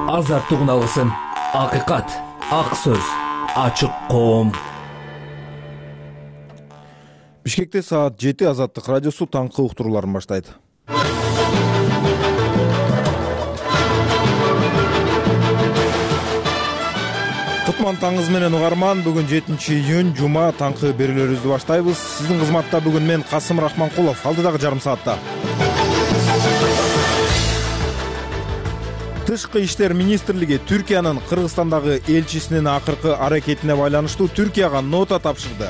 азаттык алгысым, акыйкат, ак сөз, ачык коом. Бишкекте саат 7 Азаттык радиосу таңкы уктурууларын баштайт. Кутман таңыңыз менен угарман. Бүгүн 7-июнь жума таңкы берүүлөрүбүздү баштайбыз. Сиздин кызматта бүгүн мен Касым Рахманкулов. Алдыдагы жарым саатта Тышкы иштер министрлиги Түркиянын Кыргызстандагы элчисинин акыркы аракетине байланыштуу Түркияга нота тапшырды.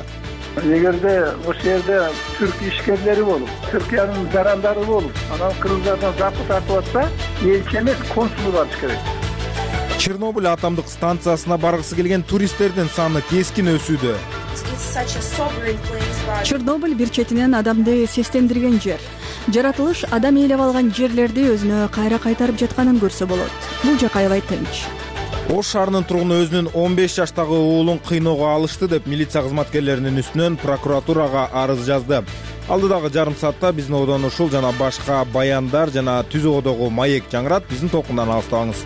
Эгерде ошол жерде түрк ишкерлери болуп, Түркиянын жарандары болуп, анан кыргыздардан запы тартып атса, элчи эмес, консулу барыш керек. Чернобыль атомдук станциясына баргысы келген туристтердин саны кескин өсүүдө. Чернобыль бир четинен адамды сестендирген жер. Жаратылыш адам ээлеп алган жерлерди өзүнө кайра кайтарып жатканын көрсө болот. Бул жак аябай тынч. Ош шаарынын тургуну өзүнүн 15 жаштагы уулун кыйноого алышты деп милиция кызматкерлеринин үстүнөн прокуратурага арыз жазды. Алдыдагы жарым саатта биздин одон ушул жана башка баяндар жана түзүүдөгү маек жаңырат. Биздин толкундан алыстабаңыз.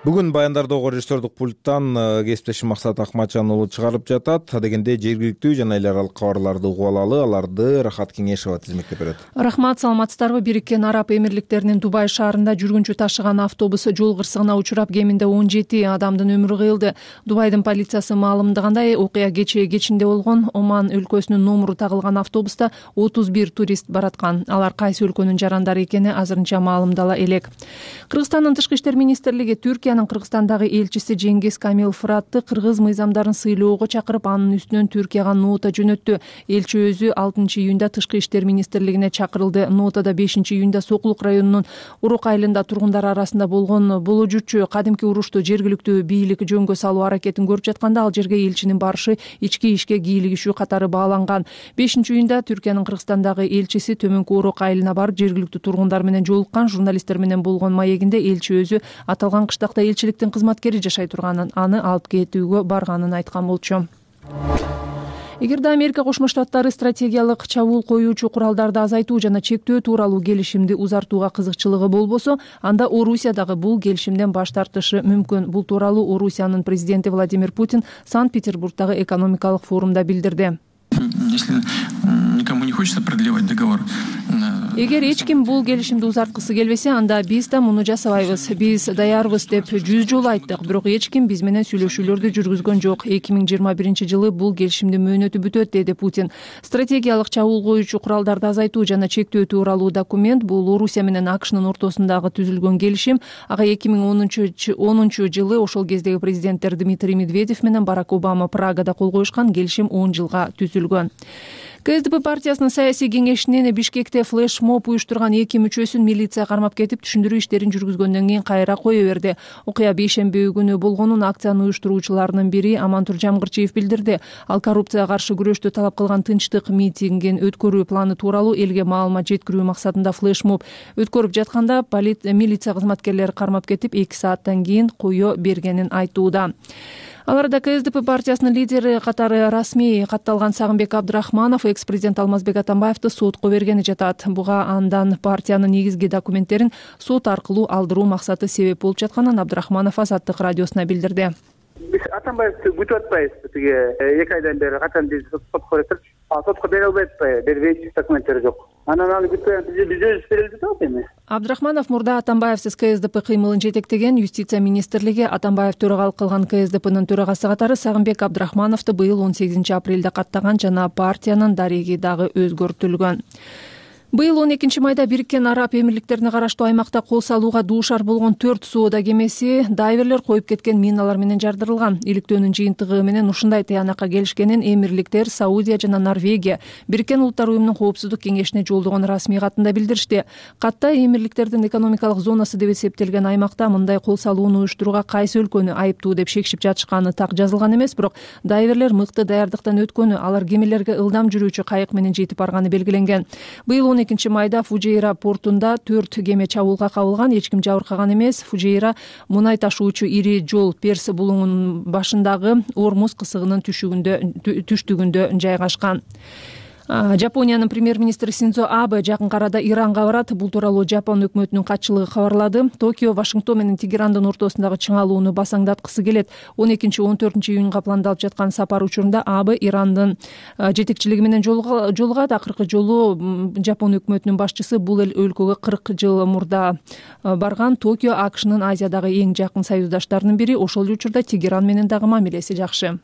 Бүгүн баяндардагы режиссердук пульттан кесиптешим Максат Акматжан уулу чыгарып жатат. Адегенде жергиликтүү жана эл аралык кабарларды угуп алалы, аларды Рахат Кеңешова тизмектеп берет. Рахмат, саламатсыздарбы? Бириккен Араб Эмирликтеринин Дубай шаарында жүргүнчү ташыган автобус жол кырсыгына учурап, кеминде 17 адамдын өмүрү кыйылды. Дубайдын полициясы маалымдагандай, окуя кечинде болгон. Оман өлкөсүнүн номуру тагылган автобуста 31 турист бараткан. Алар кайсы өлкөнүн жарандары экени азырынча маалымдала элек. Кыргызстандын Тышкы иштер министрлиги Түркиянын Кыргызстандагы элчиси Жеңгиз Камил Фыратты кыргыз мыйзамдарын сыйлоого чакырып, анын үстүнөн Түркияга нота жөнөттү. Элчи өзү 6-июнда Тышкы иштер министрлигине чакырылды. Нотада 5-июнда Сокулук районунун Урук айылында тургундар арасында болгон боложурчу кадимки урушту жергиликтүү бийлик жөнгө салуу аракетин көрүп жатканда, ал жерге элчинин барышы ички ишке кийлигишүү катары бааланган. 5-июнда Түркиянын Кыргызстандагы элчиси Төмөнкү Урук айылына барып, жергиликтүү тургундар менен жолуккан. Журналисттер менен болгон маегинде элчи өзү аталган кыштакта элчиликтин кызматкери жашай турганын, аны алып кетүүгө барганын айткан болчу. Эгерде Америка Кошмо Штаттары стратегиялык чабуул коюучу куралдарды азайтуу жана чектөө тууралуу келишимди узартууга кызыкчылыгы болбосо, анда Орусия дагы бул келишимден баш тартышы мүмкүн. Бул тууралуу Орусиянын президенти Владимир Путин Санкт-Петербургдагы экономикалык форумда билдирди. Если никому не хочется продлевать договор. Эгер эч ким бул келишимди узарткысы келбесе, анда биз да муну жасабайбыз. Биз даярбыз деп 100 жолу айттык, бирок эч ким биз менен сүйлөшүүлөрдү жүргүзгөн жок. 2021-жылы бул келишимдин мөөнөтү бүтөт, деди Путин. Стратегиялык чабуул коюучу куралдарды азайтуу жана чектөө тууралуу документ бул Орусия менен АКШнын ортосундагы түзүлгөн келишим. Ага 2010-жылы ошол кездеги президенттер Дмитрий Медведев менен Барак Обама Прагада кол коюшкан. Келишим 10 жылга түзүлгөн. КСДП партиясынын саясий кеңешинин Бишкекте флешмоб уюштурган 2 мүчөсүн милиция кармап кетип, түшүндүрүү иштерин жүргүзгөндөн кийин кайра кое берди. Окуя бейшемби күнү болгонун акцияны уюштуруучуларынын бири Амантур Жамгырчиев билдирди. Ал коррупцияга каршы күрөштү талап кылган тынчтык митингин өткөрүү планы тууралуу элге маалымат жеткирүү максатында флешмоб өткөрүп жатканда милиция кызматкерлери кармап кетип, 2 сааттан кийин кое бергенин айтууда. Аларда КСДП партиясынын лидери катары расмий катталган Сагынбек Абдрахманов экс-президент Алмазбек Атамбаевди сотко бергени жатат. Буга андан партиянын негизги документтерин сот аркылуу алдыруу максаты себеп болуп жатканын Абдрахманов Азаттык радиосуна билдирди. Биз Атамбаевди күтүп атпайбыз. 2 айдан бери качан биз сотко берип, сотко бере албай атпайбы, бербейт, документтери жок. Анан аны күтүп биз өзүбүз берелди да эми. Абдрахманов мурда Атамбаевсиз КСДП кыймылын жетектеген. Юстиция министрлиги Атамбаев төрагалык кылган КСДПнын төрагасы катары Сагынбек Абдрахмановду быйыл 18 апрелде каттаган жана партиянын дареги дагы өзгөртүлгөн. Быйыл 12 майда Бириккен Араб Эмирликтерине караштуу аймакта кол салууга дуушар болгон 4 соода кемеси дайверлер коюп кеткен миналар менен жардырылган. Иликтөөнүн жыйынтыгы менен ушундай тыянакка келишкенин Эмирликтер, Саудия жана Норвегия Бириккен Улуттар уюмунун коопсуздук кеңешине жолдогон расмий катында билдиришти. Катта Эмирликтердин экономикалык зонасы деп эсептелген аймакта мындай кол салууну уюштурууга кайсы өлкөнү айыптуу деп шекшип жатышканы так жазылган эмес, бирок дайверлер мыкты даярдыктан өткөнү, алар кемелерге ылдам жүрүүчү кайык менен жетип барганы белгиленген. Быйыл 12 майда Фужейра портунда 4 кеме чабуулга кабылган, эч ким жабыркаган эмес. Фужейра мунай ташуучу ири жол Перс булуңунун башындагы Ормуз кысыгынын түштүгүндө жайгашкан. Жапониянын премьер-министри Синдзо Абе жакынкы арада Иранга барат. Бул тууралуу Жапон өкмөтүнүн катчылыгы кабарлады. Токио Вашингтон менен Тегерандын ортосундагы чыңалууну басаңдаткысы келет. 12-14 июнга пландалып жаткан сапар учурунда Абе Ирандын жетекчилиги менен жолугат. Акыркы жолу Жапон өкмөтүнүн башчысы бул өлкөгө 40 жыл мурда барган. Токио АКШнын Азиядагы эң жакын союздаштарынын бири. Ошол учурда Тегеран менен дагы мамилеси жакшы.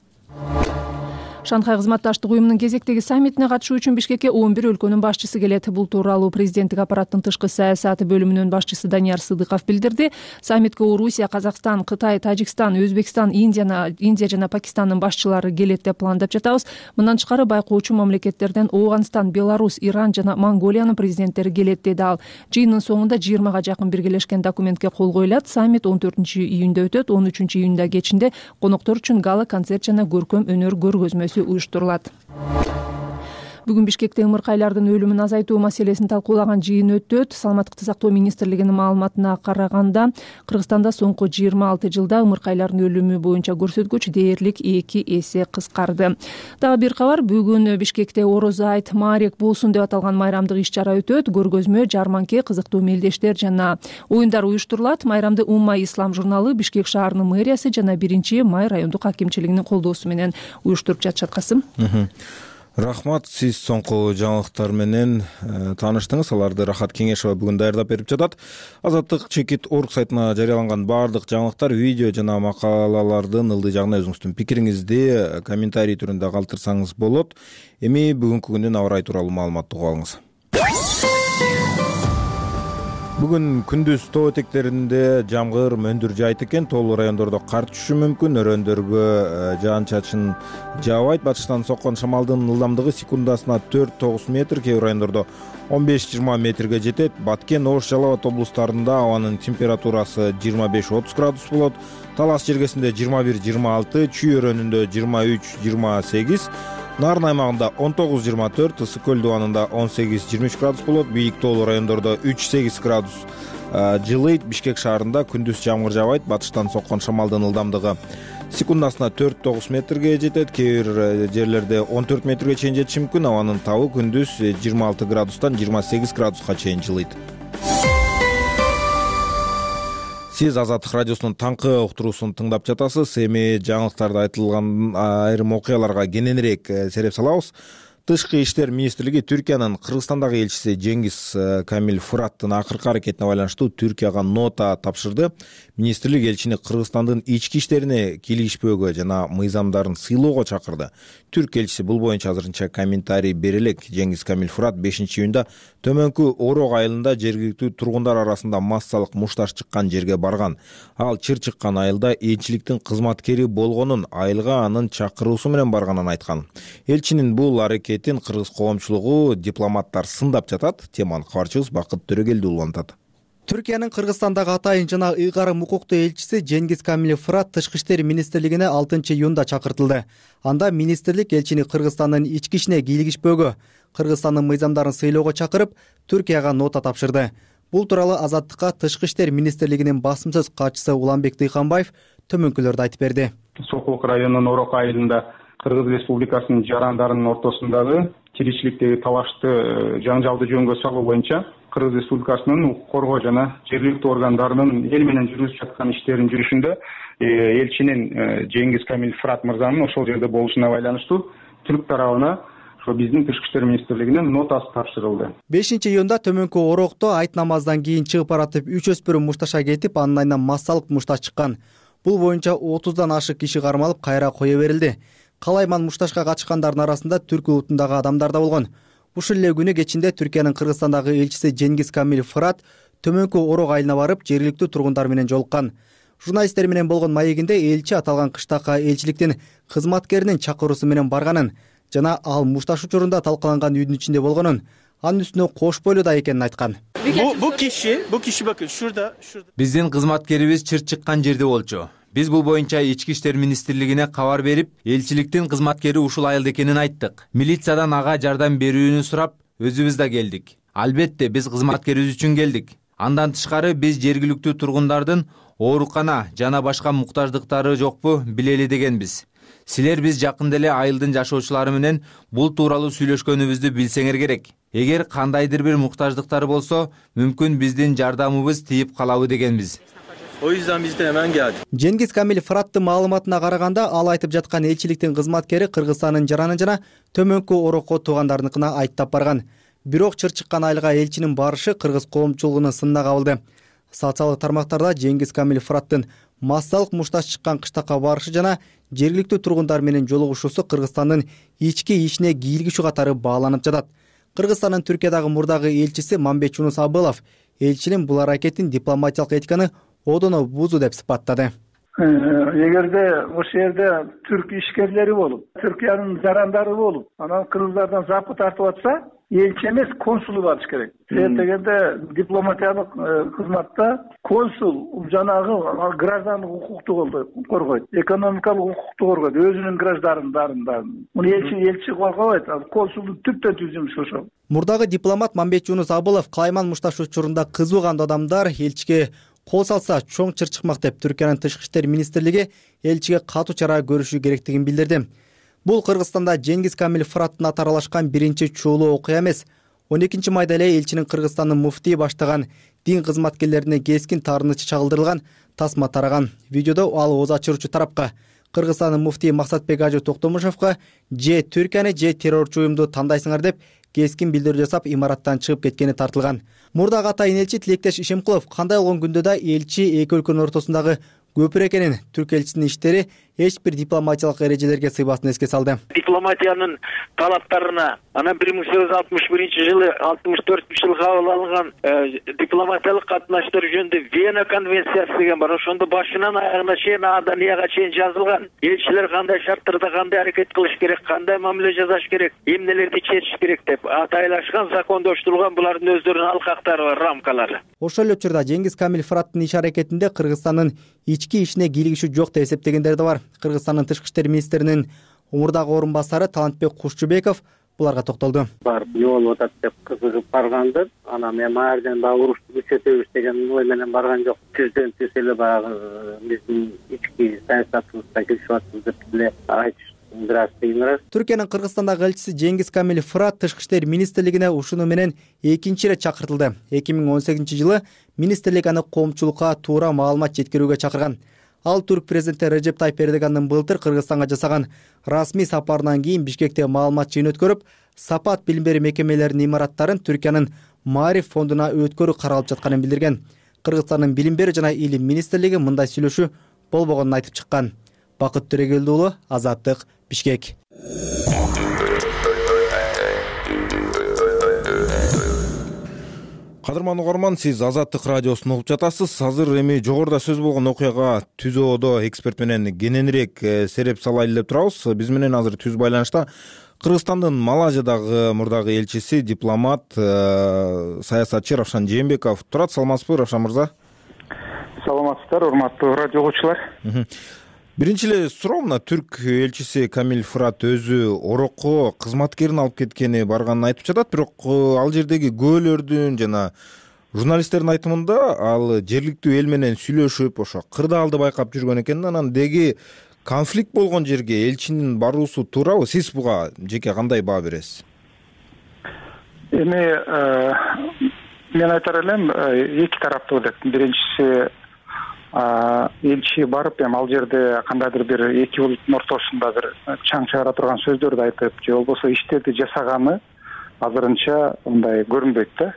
Шанхай кызматташтык уюмунун кезектеги саммитине катышуу үчүн Бишкекке 11 өлкөнүн башчысы келет. Бул тууралуу президенттик аппараттын тышкы саясат бөлүмүнүн башчысы Данияр Сыдыков билдирди. Саммитке Орусия, Казакстан, Кытай, Тажикстан, Өзбекстан, Индия жана Пакистандын башчылары келет деп пландап жатабыз. Мындан тышкары байкоочу мамлекеттерден Ооганстан, Беларусь, Иран жана Монголиянын президенттери келет деди ал. Жыйындын соңунда 20га жакын биргелешкен документке кол коюлат. Саммит 14-июнда өтөт. 13-июнда кечинде коноктор үчүн гала-концерт жана көркөм өнөр көргөзмөсү уюштурулат. Бүгүн Бишкекте ымыркайлардын өлүмүн азайтуу маселесин талкуулаган жыйын өтөт. Саламаттыкты сактоо министрлигинин маалыматына караганда, Кыргызстанда соңку 26 жылда ымыркайлардын өлүмү боюнча көрсөткүч дээрлик 2 эсе кыскарды. Дагы бир кабар, бүгүн Бишкекте Орозо айт Маарек болсун деп аталган майрамдык иш-чара өтөт. Көргөзмө, жарманке, кызыктуу мелдештер жана оюндар уюштурулат. Майрамды Умма Ислам журналы, Бишкек шаарынын мэриясы жана 1-Май райондук акимчилигинин колдоосу менен уюштуруп жатышат. Касым. Рахмат, сиз соңку жаңылыктар менен тааныштыңыз. Аларды Рахат Кеңешова бүгүн даярдап берип жатат. Азаттык чекит орг сайтына жарыяланган баардык жаңылыктар, видео жана макалалардын ылдый жагына өзүңүздүн пикириңизди комментарий түрүндө калтырсаңыз болот. Эми бүгүнкү күндүн аба ырайы тууралуу маалыматты угуп алыңыз. Бүгүн күндүз тоо этектеринде жамгыр, мөндүр жаайт экен. Тоолуу райондордо кар түшүшү мүмкүн. Өрөөндөргө жаан-чачын жаабайт. Батыштан соккон шамалдын ылдамдыгы секундасына 4-9 метр, кээ бир райондордо 15-20 метрге жетет. Баткен, Ош, Жалал Абад облустарында абанын температурасы 25-30 градус болот. Талас жергесинде 21-26, Чүй өрөөнүндө 23-28, Нарын аймагында 19-24, Ысык көл дубанында 18-23 градус болот. Бийик тоолуу райондордо 3-8 градус жылыйт. Бишкек шаарында күндүз жамгыр жаабайт. Батыштан соккон шамалдын ылдамдыгы секундасына 4-9 метрге жетет. Кээ бир жерлерде 14 метрге чейин жетиши мүмкүн. Абанын табы күндүз 26 градустан 28 градуска чейин жылыйт. Сиз Азаттык радиосунун таңкы уктуруусун тыңдап жатасыз. Эми жаңылыктарда айтылган айрым окуяларга кененирээк сереп салабыз. Тышкы иштер министрлиги Түркиянын Кыргызстандагы элчиси Жеңгиз Камил Фураттын акыркы аракетине байланыштуу Түркияга нота тапшырды. Министрлик элчини Кыргызстандын ички иштерине кийлигишпөөгө жана мыйзамдарын сыйлоого чакырды. Түрк элчиси бул боюнча азырынча комментарий бере элек. Жеңгиз Камил Фурат 5-июнда төмөнкү Орок айылында жергиликтүү тургундар арасында массалык мушташ чыккан жерге барган. Ал чыр чыккан айылда элчиликтин кызматкери болгонун, айылга анын чакыруусу менен барганын айткан. Элчинин бул аракетин кыргыз коомчулугу, дипломаттар сындап жатат. Теманы кабарчыбыз Бакыт Төрөгелди улантат. Түркиянын Кыргызстандагы атайын жана ыйгарым укуктуу элчиси Жеңгиз Камил Фурат Тышкы иштер министрлигине 6-июнда чакыртылды. Анда министрлик элчини Кыргызстандын ички ишине кийлигишпөөгө, Кыргызстандын мыйзамдарын сыйлоого чакырып, Түркияга нота тапшырды. Бул тууралуу Азаттыкка Тышкы иштер министрлигинин басым сөз катчысы Уланбек Дыйканбаев төмөнкүлөрдү айтып берди. Сокулук районунун Орок айылында Кыргыз Республикасынын жарандарынын ортосундагы тиричиликтеги талашты жаңжалды жөнгө салуу боюнча Кыргыз Республикасынын укук коргоо жана жергиликтүү органдарынын эл менен жүргүзүп жаткан иштеринин жүрүшүндө элчинин Жеңгиз Камил Фурат мырзанын ошол жерде болушуна байланыштуу түрк тарабына ошо биздин Тышкы иштер министрлигинин нотасы тапшырылды. 5-июнда төмөнкү Орокто айт намаздан кийин чыгып баратып 3 өспүрүм мушташа кетип, анын айынан массалык мушташ чыккан. Бул боюнча 30дан ашык киши кармалып, кайра кое берилди. Калайман мушташка катышкандардын арасында түрк улутундагы адамдар да болгон. Ушул эле күнү кечинде Түркиянын Кыргызстандагы элчиси Жеңгиз Камил Фурат төмөнкү Орок айылына барып, жергиликтүү тургундар менен жолуккан. Журналисттер менен болгон маегинде элчи аталган кыштакка элчиликтин кызматкеринин чакыруусу менен барганын жана ал мушташ учурунда талкаланган үйдүн ичинде болгонун, анын үстүнө кош бойлуу да экенин айткан. Бул киши бакын шурда. Биздин кызматкерибиз чыр чыккан жерде болчу. Биз бул боюнча ички иштер министрлигине кабар берип, элчиликтин кызматкери ушул айылда экенин айттык. Милициядан ага жардам берүүнү сурап, өзүбүз да келдик. Албетте биз кызматкерибиз үчүн келдик. Андан тышкары биз жергиликтүү тургундардын оорукана жана башка муктаждыктары жокпу билели дегенбиз. Силер биз жакында эле айылдын жашоочулары менен бул тууралуу сүйлөшкөнүбүздү билсеңер керек. Эгер кандайдыр бир муктаждыктары болсо, мүмкүн биздин жардамыбыз тийип калабы дегенбиз. O yüzden biz de hemen geldik. Жеңгиз Камил Фыраттын маалыматына караганда, ал айтып жаткан элчиликтин кызматкери Кыргызстандын жараны жана төмөнкү Орокко туугандарыныкына айттап барган. Бирок чыр чыккан айылга элчинин барышы кыргыз коомчулугунун сынына кабылды. Социалдык тармактарда Жеңгиз Камил Фыраттын массалык мушташ чыккан кыштакка барышы жана жергиликтүү тургундар менен жолугушуусу Кыргызстандын ички ишине кийлигишүү катары бааланып жатат. Кыргызстандын Түркиядагы мурдагы элчиси Мамбет Жунус Абылов элчинин бул аракетин дипломатиялык этиканы одоно бузуу деп сыпаттады. Эгерде ошол жерде түрк ишкерлери болуп, Түркиянын жарандары болуп, анан кыргыздардан запы тартып атса, элчи эмес, консулу барыш керек. Себеп дегенде дипломатиялык кызматта консул жанагы граждандык укукту коргойт, экономикалык укукту коргойт, өзүнүн граждандарын. Муну элчи коргобойт, консулдун түптөн түз жумушу ошол. Мурдагы дипломат Мамбет Жунус Абылов Калайман мушташ учурунда кызуу кандуу адамдар элчиге кол салса чоң чыр чыкмак деп Түркиянын тышкы иштер министрлиги элчиге катуу чара көрүшү керектигин билдирди. Бул Кыргызстанда Жеңгиз Камил Фыраттын аты аралашкан биринчи чуулуу окуя эмес. 12 майда эле элчинин Кыргызстандын муфтии баштаган дин кызматкерлерине кескин таарынычы чагылдырылган тасма тараган. Видеодо ал ооз ачыруучу тарапка Кыргызстандын муфтии Максатбек Ажы Токтомушевго же Түркияны же террорчу уюмду тандайсыңар деп кескин билдирүү жасап имараттан чыгып кеткени тартылган. Мурдагы атайын элчи Тилектеш Ишемкулов кандай болгон күндө да элчи эки өлкөнүн ортосундагы көпүр экенин, түрк элчисинин иштери эч бир дипломатиялык эрежелерге сыйбасын эске салды. Дипломатиянын талаптарына анан 1861-жылы 64-жылы кабыл алынган дипломатиялык катнаштар жөнүндө Вена конвенциясы деген бар. Ошондо башынан аягына чейин Аданияга чейин жазылган. Элчилер кандай шарттарда кандай аракет кылыш керек, кандай мамиле жасаш керек, эмнелерди чечиш керек деп атайлашкан, закондоштурулган булардын өздөрүнүн алкактары бар, рамкалары. Ошол эле учурда Жеңгиз Камил Фыраттын иш аракетинде Кыргызстандын ички ишине кийлигишүү жок деп эсептегендер да бар. Кыргызстандын тышкы иштер министринин мурдагы орун басары Талантбек Кушчубеков буларга токтолду. Барып эмне болуп атат деп кызыгып баргандыр. Анан мен маардан дагы урушту күчөтөбүз деген ой менен барган жок. Түздөн түз эле баягы биздин ички саясатыбызда келишип атабыз деп эле айтыш. Түркиянын Кыргызстандагы элчиси Жеңгиз Камил Фырат тышкы иштер министрлигине ушуну менен экинчи ирет чакыртылды. 2018-жылы министрлик аны коомчулукка туура маалымат жеткирүүгө чакырган. Ал түрк президенти Режеп Тайып Эрдогандын былтыр Кыргызстанга жасаган расмий сапарынан кийин Бишкекте маалымат жыйын өткөрүп, сапат билим берүү мекемелеринин имараттарын Түркиянын Маариф фондуна өткөрүү каралып жатканын билдирген. Кыргызстандын билим берүү жана илим министрлиги мындай сүйлөшүү болбогонун айтып чыккан. Бакыт Төрөгелди уулу, Азаттык, Бишкек. Кадырман угарман, сиз Азаттык радиосун угуп жатасыз. Азыр эми жогоруда сөз болгон окуяга түз ободо эксперт менен кененирээк сереп салайлы деп турабыз. Биз менен азыр түз байланышта Кыргызстандын Малайзиядагы мурдагы элчиси, дипломат, саясатчы Равшан Жээнбеков турат. Саламатсызбы, Равшан мырза? Саламатсыздар, урматтуу радио угуучулар. Биринчи эле суроо, мына түрк элчиси Камил Фырат өзү Орокко кызматкерин алып кеткени барганын айтып жатат, бирок ал жердеги көөлөрдүн жана журналисттердин айтымында ал жергиликтүү эл менен сүйлөшүп, ошо кырдаалды байкап жүргөн экен. Анан деги конфликт болгон жерге элчинин баруусу туурабы? Сиз буга жеке кандай баа бересиз? Эми мен айтар элем, эки тараптуу деп. Биринчиси элчи барып эми ал жерде кандайдыр бир эки улуттун ортосунда бир чаң чыгара турган сөздөрдү айтып, же болбосо иштерди жасаганы азырынча мындай көрүнбөйт да.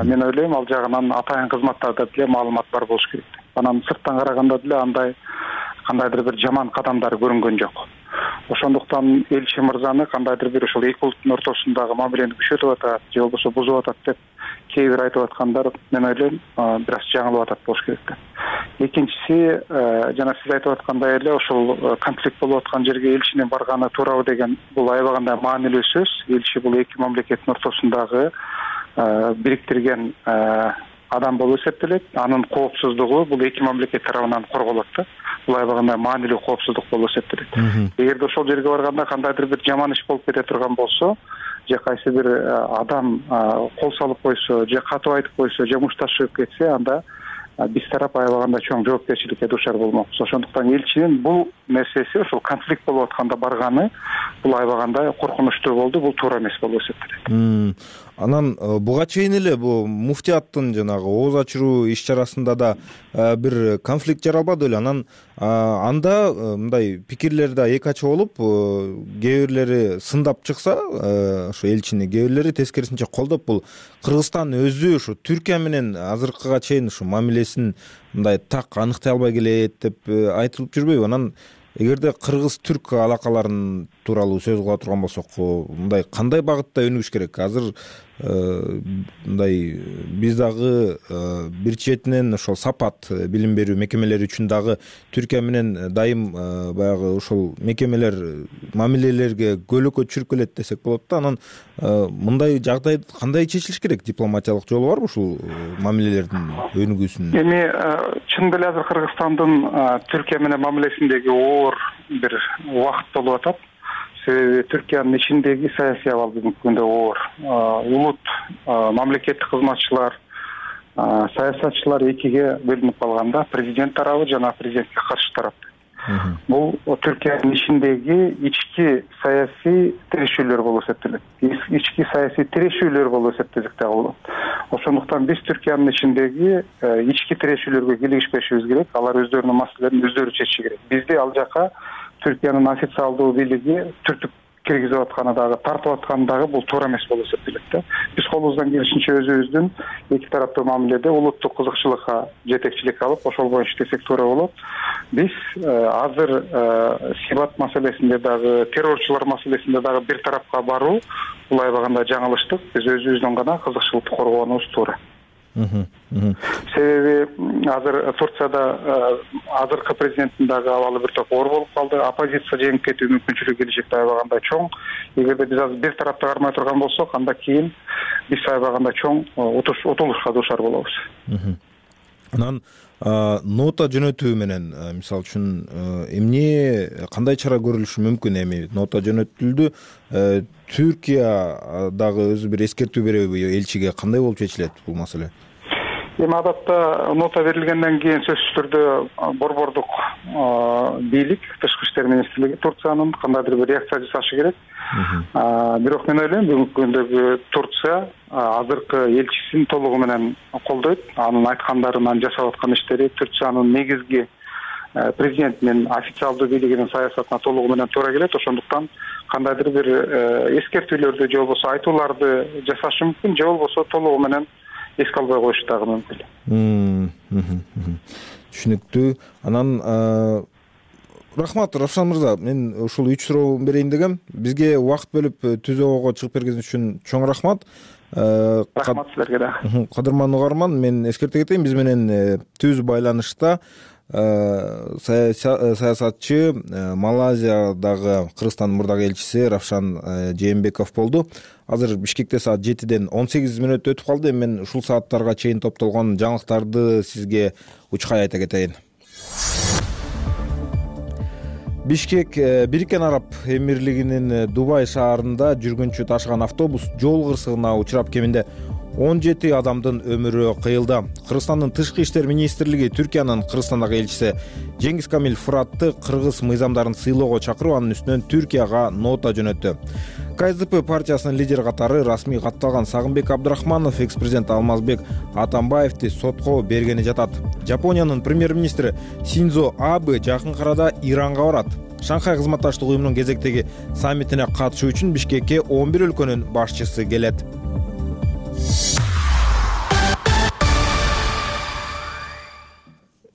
Мен ойлойм, ал жагынан атайын кызматтарда деле маалымат бар болуш керек. Анан сырттан караганда деле андай кандайдыр бир жаман кадамдар көрүнгөн жок. Ошондуктан элчи мырзаны кандайдыр бир ошол эки улуттун ортосундагы мамилени күчөтүп атат, же болбосо бузуп атат деп кээ бир айтып аткандар, мен ойлойм, бир аз жаңылып атат болуш керек да. Экинчиси, жана сиз айтып аткандай эле ошол конфликт болуп аткан жерге элчинин барганы туурабы деген бул аябагандай маанилүү сөз. Элчи бул эки мамлекеттин ортосундагы бириктирген адам болуп эсептелет. Анын коопсуздугу бул эки мамлекет тарабынан корголот да. Бул аябагандай маанилүү коопсуздук болуп эсептелет. Эгерде ошол жерге барганда кандайдыр бир жаман иш болуп кете турган болсо, же кайсы бир адам кол салып койсо, же катып айтып койсо, же мушташып кетсе, анда биз тарап аябагандай чоң жоопкерчиликке дуушар болмокпуз. Ошондуктан элчинин бул нерсеси ошол конфликт болуп атканда барганы бул аябагандай коркунучтуу болду. Бул туура эмес болуп эсептелет. Анан буга чейин эле бул муфтияттын жанагы ооз ачыруу иш чарасында да бир конфликт жаралбады беле? Анан анда мындай пикирлер да эки ача болуп, кээ бирлери сындап чыкса, ошо элчини кээ бирлери тескерисинче колдоп, бул Кыргызстан өзү ушу Түркия менен азыркыга чейин ушу мамилесин мындай так аныктай албай келет деп айтылып жүрбөйбү? Анан эгерде кыргыз-түрк алакаларын тууралуу сөз кыла турган болсок, мындай кандай багытта өнүгүш керек? Азыр мындай биз дагы бир четинен ошол сапат билим берүү мекемелери үчүн дагы Түркия менен дайым баягы ошол мекемелер мамилелерге көйлөккө түшүрүп келет десек болот да. Анан мындай жагдай кандай чечилиш керек? Дипломатиялык жолу барбы ушул мамилелердин өнүгүүсүнүн? Эми чын эле азыр Кыргызстандын Түркия менен мамилесиндеги оор бир убакыт болуп атат. Себеби Түркиянын ичиндеги саясий абал бүгүнкү күндө оор. Улут, мамлекеттик кызматчылар, саясатчылар экиге бөлүнүп калганда, президент тарабы жана президентке каршы тарап. Бул Түркиянын ичиндеги ички саясий тирешүүлөр болуп эсептелет. Ички саясий тирешүүлөр болуп эсептесек дагы болот. Ошондуктан биз Түркиянын ичиндеги ички тирешүүлөргө кийлигишпешибиз керек. Алар өздөрүнүн маселелерин өздөрү чечиши керек. Бизди ал жака Түркиянын официалдуу бийлиги түртүп киргизип атканы дагы, тартып атканы дагы бул туура эмес болуп эсептелет да. Биз колубуздан келишинче өзүбүздүн эки тараптуу мамиледе улуттук кызыкчылыкка жетекчилик алып, ошол боюнча иштесек туура болот. Биз азыр Сибат маселесинде дагы, террорчулар маселесинде дагы бир тарапка баруу бул аябагандай жаңылыштык. Биз өзүбүздүн гана кызыкчылыкты коргоонубуз туура. Себеби азыр Турцияда азыркы президенттин дагы абалы бир топ оор болуп калды. Оппозиция жеңип кетүү мүмкүнчүлүгү келечекте аябагандай чоң. Эгерде биз азыр бир тарапты кармай турган болсок, анда кийин биз аябагандай чоң утулушка дуушар болобуз. Анан нота жөнөтүү менен мисалы үчүн эмне кандай чара көрүлүшү мүмкүн? Эми нота жөнөтүлдү. Түркия дагы өзү бир эскертүү береби элчиге? Кандай болуп чечилет бул маселе? Эми адатта нота берилгенден кийин сөзсүз түрдө борбордук бийлик, Тышкы иштер министрлиги Турциянын кандайдыр бир реакция жасашы керек. Бирок мен ойлойм, бүгүнкү күндөгү Турция азыркы элчисин толугу менен колдойт. Анын айткандарын, анын жасап аткан иштери Турциянын негизги президентинин официалдуу бийлигинин саясатына толугу менен туура келет. Ошондуктан кандайдыр бир эскертүүлөрдү же болбосо айтууларды жасашы мүмкүн, же болбосо толугу менен эске албай коюшу дагы мүмкүн. Түшүнүктүү. Анан рахмат Равшан мырза, мен ушул 3 суроо берейин дегем. Бизге убакыт бөлүп түзөөгө чыгып бергениңиз үчүн чоң рахмат. Рахмат силерге дагы. Кадырман угарман, мен эскерте кетейин, биз менен түз байланышта саясатчы, Малайзиядагы Кыргызстандын мурдагы элчиси Равшан Жээнбеков болду. Азыр Бишкекте саат 7-ден 18 мүнөт өтүп калды. Мен ушул сааттарга чейин топтолгон жаңылыктарды сизге учкай айта кетейин. Бишкек Бириккен Араб Эмирлигинин Дубай шаарында жүргүнчү ташыган автобус жол кырсыгына учурап кеминде 17 адамдын өмүрү кыйылды. Кыргызстандын Тышкы иштер министрлиги Түркиянын Кыргызстандагы элчиси Жеңиз Камил Фуратты кыргыз мыйзамдарын сыйлоого чакырып, анын үстүнөн Түркияга нота жөнөттү. КСДП партиясынын лидери катары расмий катталган Сагынбек Абдрахманов экс-президент Алмазбек Атамбаевди сотко бергени жатат. Жапониянын премьер-министри Синдзо Абе жакын арада Иранга барат. Шанхай кызматташтык уюмунун кезектеги саммитине катышуу үчүн Бишкекке 11 өлкөнүн башчысы келет.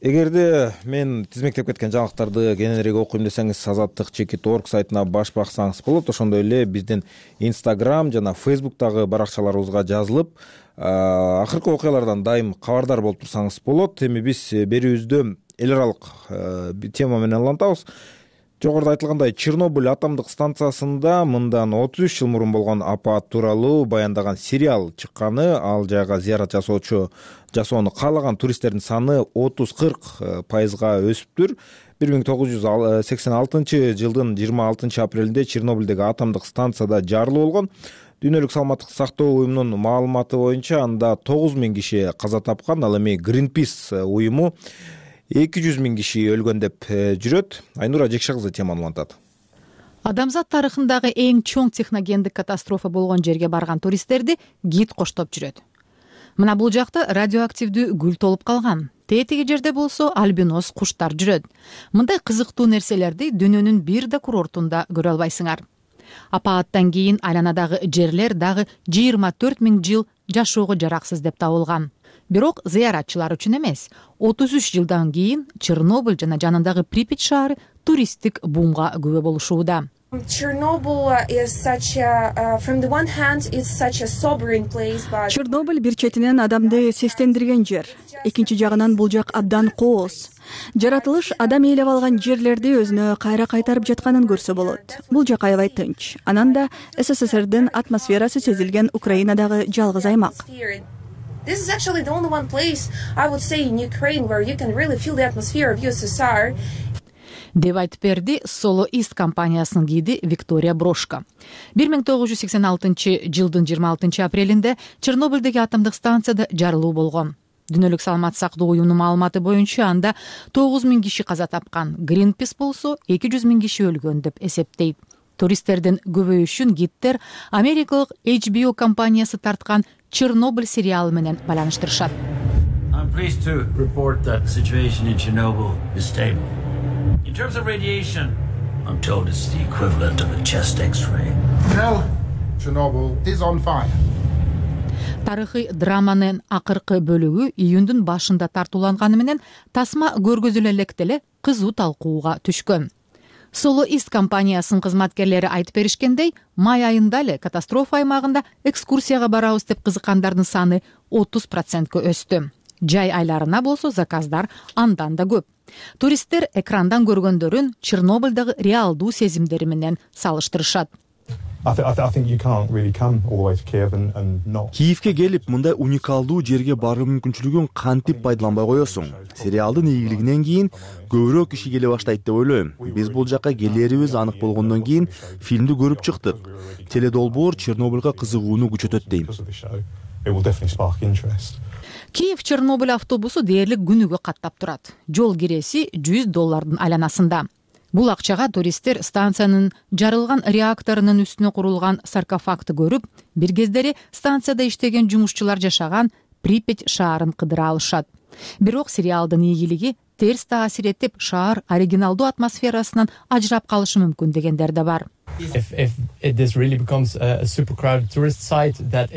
Эгерде мен тизмектеп кеткен жаңылыктарды кененирээк окуйм десеңиз, azattik.org сайтына баш баксаңыз болот. Ошондой эле биздин Instagram жана Facebook'тагы баракчаларыбызга жазылып, акыркы окуялардан дайым кабардар болуп турсаңыз болот. Эми биз берүүбүздө эл аралык тема менен улантабыз. Жогоруда айтылгандай, Чернобыль атомдук станциясында мындан 33 жыл мурун болгон апат тууралуу баяндаган сериал чыкканы, ал жайга зыярат жасоону каалаган туристтердин саны 30-40% өсүптүр. 1986 жылдын 26 апрелинде Чернобыльдеги атомдук станцияда жарылуу болгон. Дүйнөлүк саламаттыкты сактоо уюмунун маалыматы боюнча анда 9000 киши каза тапкан. Ал эми Greenpeace уюму 200 000 киши өлгөн деп жүрөт. Айнура Жекше кызы теманы улантат. Адамзат тарыхындагы эң чоң техногендик катастрофа болгон жерге барган туристтерди гид коштоп жүрөт. Мына бул жакта радиоактивдүү гүл толуп калган. Тетиги жерде болсо альбинос куштар жүрөт. Мындай кызыктуу нерселерди дүйнөнүн бир да курортунда көрө албайсыңар. Апааттан кийин айланадагы жерлер дагы 24 000 жыл жашоого жараксыз деп табылган. Бирок зыяратчылар үчүн эмес, 33 жылдан кийин Чернобыль жана жанындагы Припять шаары туристтик бумга күбө болушууда. Чернобыль бир четинен адамды сестендирген жер. Экинчи жагынан бул жак абдан кооз. Жаратылыш адам ээлеп алган жерлерди өзүнө кайра кайтарып жатканын көрсө болот. Бул жак аябай тынч. Анан да СССРдин атмосферасы сезилген Украинадагы жалгыз аймак. This is actually the only one place, I would say, in Ukraine where you can really feel the atmosphere of USSR. Деп айтып берди Solo East компаниясынын гиди Виктория Брошко. 1986 жылдын 26 апрелинде Чернобыльдеги атомдук станцияда жарылуу болгон. Дүйнөлүк саламаттык сактоо уюмунун маалыматы боюнча анда 9 000 киши каза тапкан. Greenpeace болсо 200 000 киши өлгөн деп эсептейт. Туристтердин көбөйүшүн гидтер Америкалык HBO компаниясы тарткан Чернобыль сериалы менен байланыштырышат. I'm pleased to report that the situation in Chernobyl is stable. In terms of radiation, I'm told it's the equivalent of a chest X-ray. Well, Chernobyl is on fire. Тарыхый драманын акыркы бөлүгү июндун башында тартууланганы менен тасма көргөзүлө электе эле кызуу талкууга түшкөн. Solo East компаниясынын кызматкерлери айтып беришкендей, май айында эле катастрофа аймагында экскурсияга барабыз деп кызыккандардын саны 30% өстү. Жай айларына болсо заказдар андан да көп. Туристтер экрандан көргөндөрүн Чернобыльдагы реалдуу сезимдери менен салыштырышат. Киевке келип, мындай уникалдуу жерге баруу мүмкүнчүлүгүн кантип пайдаланбай коесуң? Сериалдын ийгилигинен кийин көбүрөөк киши келе баштайт деп ойлойм. Биз бул жакка келерибиз анык болгондон кийин фильмди көрүп чыктык. Теледолбоор Чернобыльга кызыгууну күчөтөт дейм. Киев Чернобыль автобусу дээрлик күнүгө каттап турат. Жол киреси $100 айланасында. Бул акчага туристтер станциянын жарылган реакторунун үстүнө курулган саркофагты көрүп, бир кездери станцияда иштеген жумушчулар жашаган Припять шаарын кыдыра алышат. Бирок сериалдын ийгилиги терс таасир этип, шаар оригиналдуу атмосферасынан ажырап калышы мүмкүн дегендер да бар.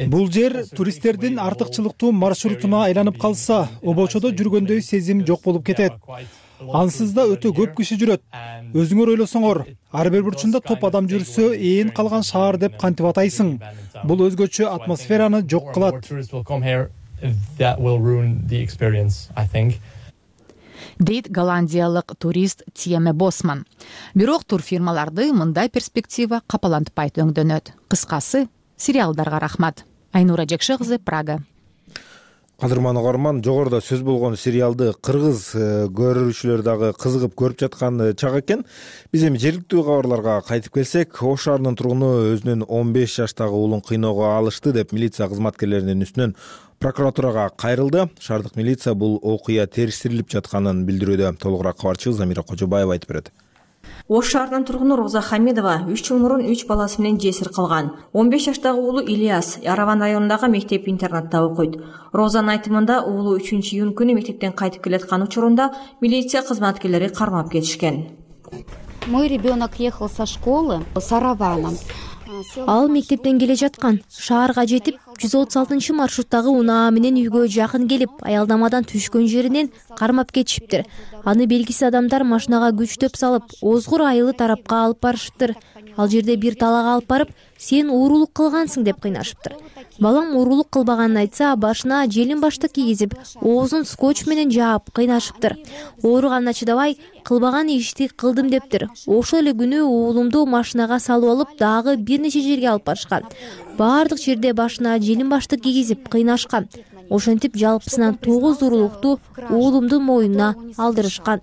Бул жер туристтердин артыкчылыктуу маршрутуна айланып калса, обочодо жүргөндөй сезим жок болуп кетет. Ансыз да өтө көп киши жүрөт. Өзүңөр ойлосоңор, ар бир бурчунда топ адам жүрсө, ээн калган шаар деп кантип атайсың? Бул өзгөчө атмосфераны жок кылат. Дейт голландиялык турист Тьеме Босман. Бирок турфирмаларды мындай перспектива капалантпайт өңдөнөт. Кыскасы, сериалдарга рахмат. Айнура Жекше кызы, Прага. Кадырман угарман, жогоруда сөз болгон сериалды кыргыз көрүүчүлөр дагы кызыгып көрүп жаткан чак экен. Биз эми жергиликтүү кабарларга кайтып келсек, Ош шаарынын тургуну өзүнүн 15 жаштагы уулун кыйноого алышты деп милиция кызматкерлеринин үстүнөн прокуратурага кайрылды. Шаардык милиция бул окуя териштирилип жатканын билдирүүдө. Толугураак кабарчыбыз Замира Кожобаева айтып берет. Ош шаарынын тургуну Роза Хамидова 3 жыл мурун 3 баласы менен жесир калган. 15 жаштагы уулу Ильяс Араван районундагы мектеп-интернатта окуйт. Розанын айтымында уулу 3-июнь күнү мектептен кайтып келаткан учурунда милиция кызматкерлери кармап кетишкен. Мой ребенок ехал со школы с Араваном. Ал мектептен келе жаткан. Шаарга жетип, 136 маршруттагы унаа менен үйгө жакын келип, аялдамадан түшкөн жеринен кармап кетишиптир. Аны белгисиз адамдар машинага күчтөп салып, Озгур айылы тарапка алып барышыптыр. Ал жерде бир талага алып барып, сен уурулук кылгансың деп кыйнашыптыр. Балам уурулук кылбаганын айтса, башына желин баштык кийгизип, оозун скотч менен жаап кыйнашыптыр. Ооруганына чыдабай, кылбаган ишти кылдым дептир. Ошол эле күнү уулумду машинага салып алып, дагы бир нече жерге алып барышкан. Баардык жерде башына желин баштык кийгизип кыйнашкан. Ошентип жалпысынан 9 уурулукту уулумдун моюнуна алдырышкан.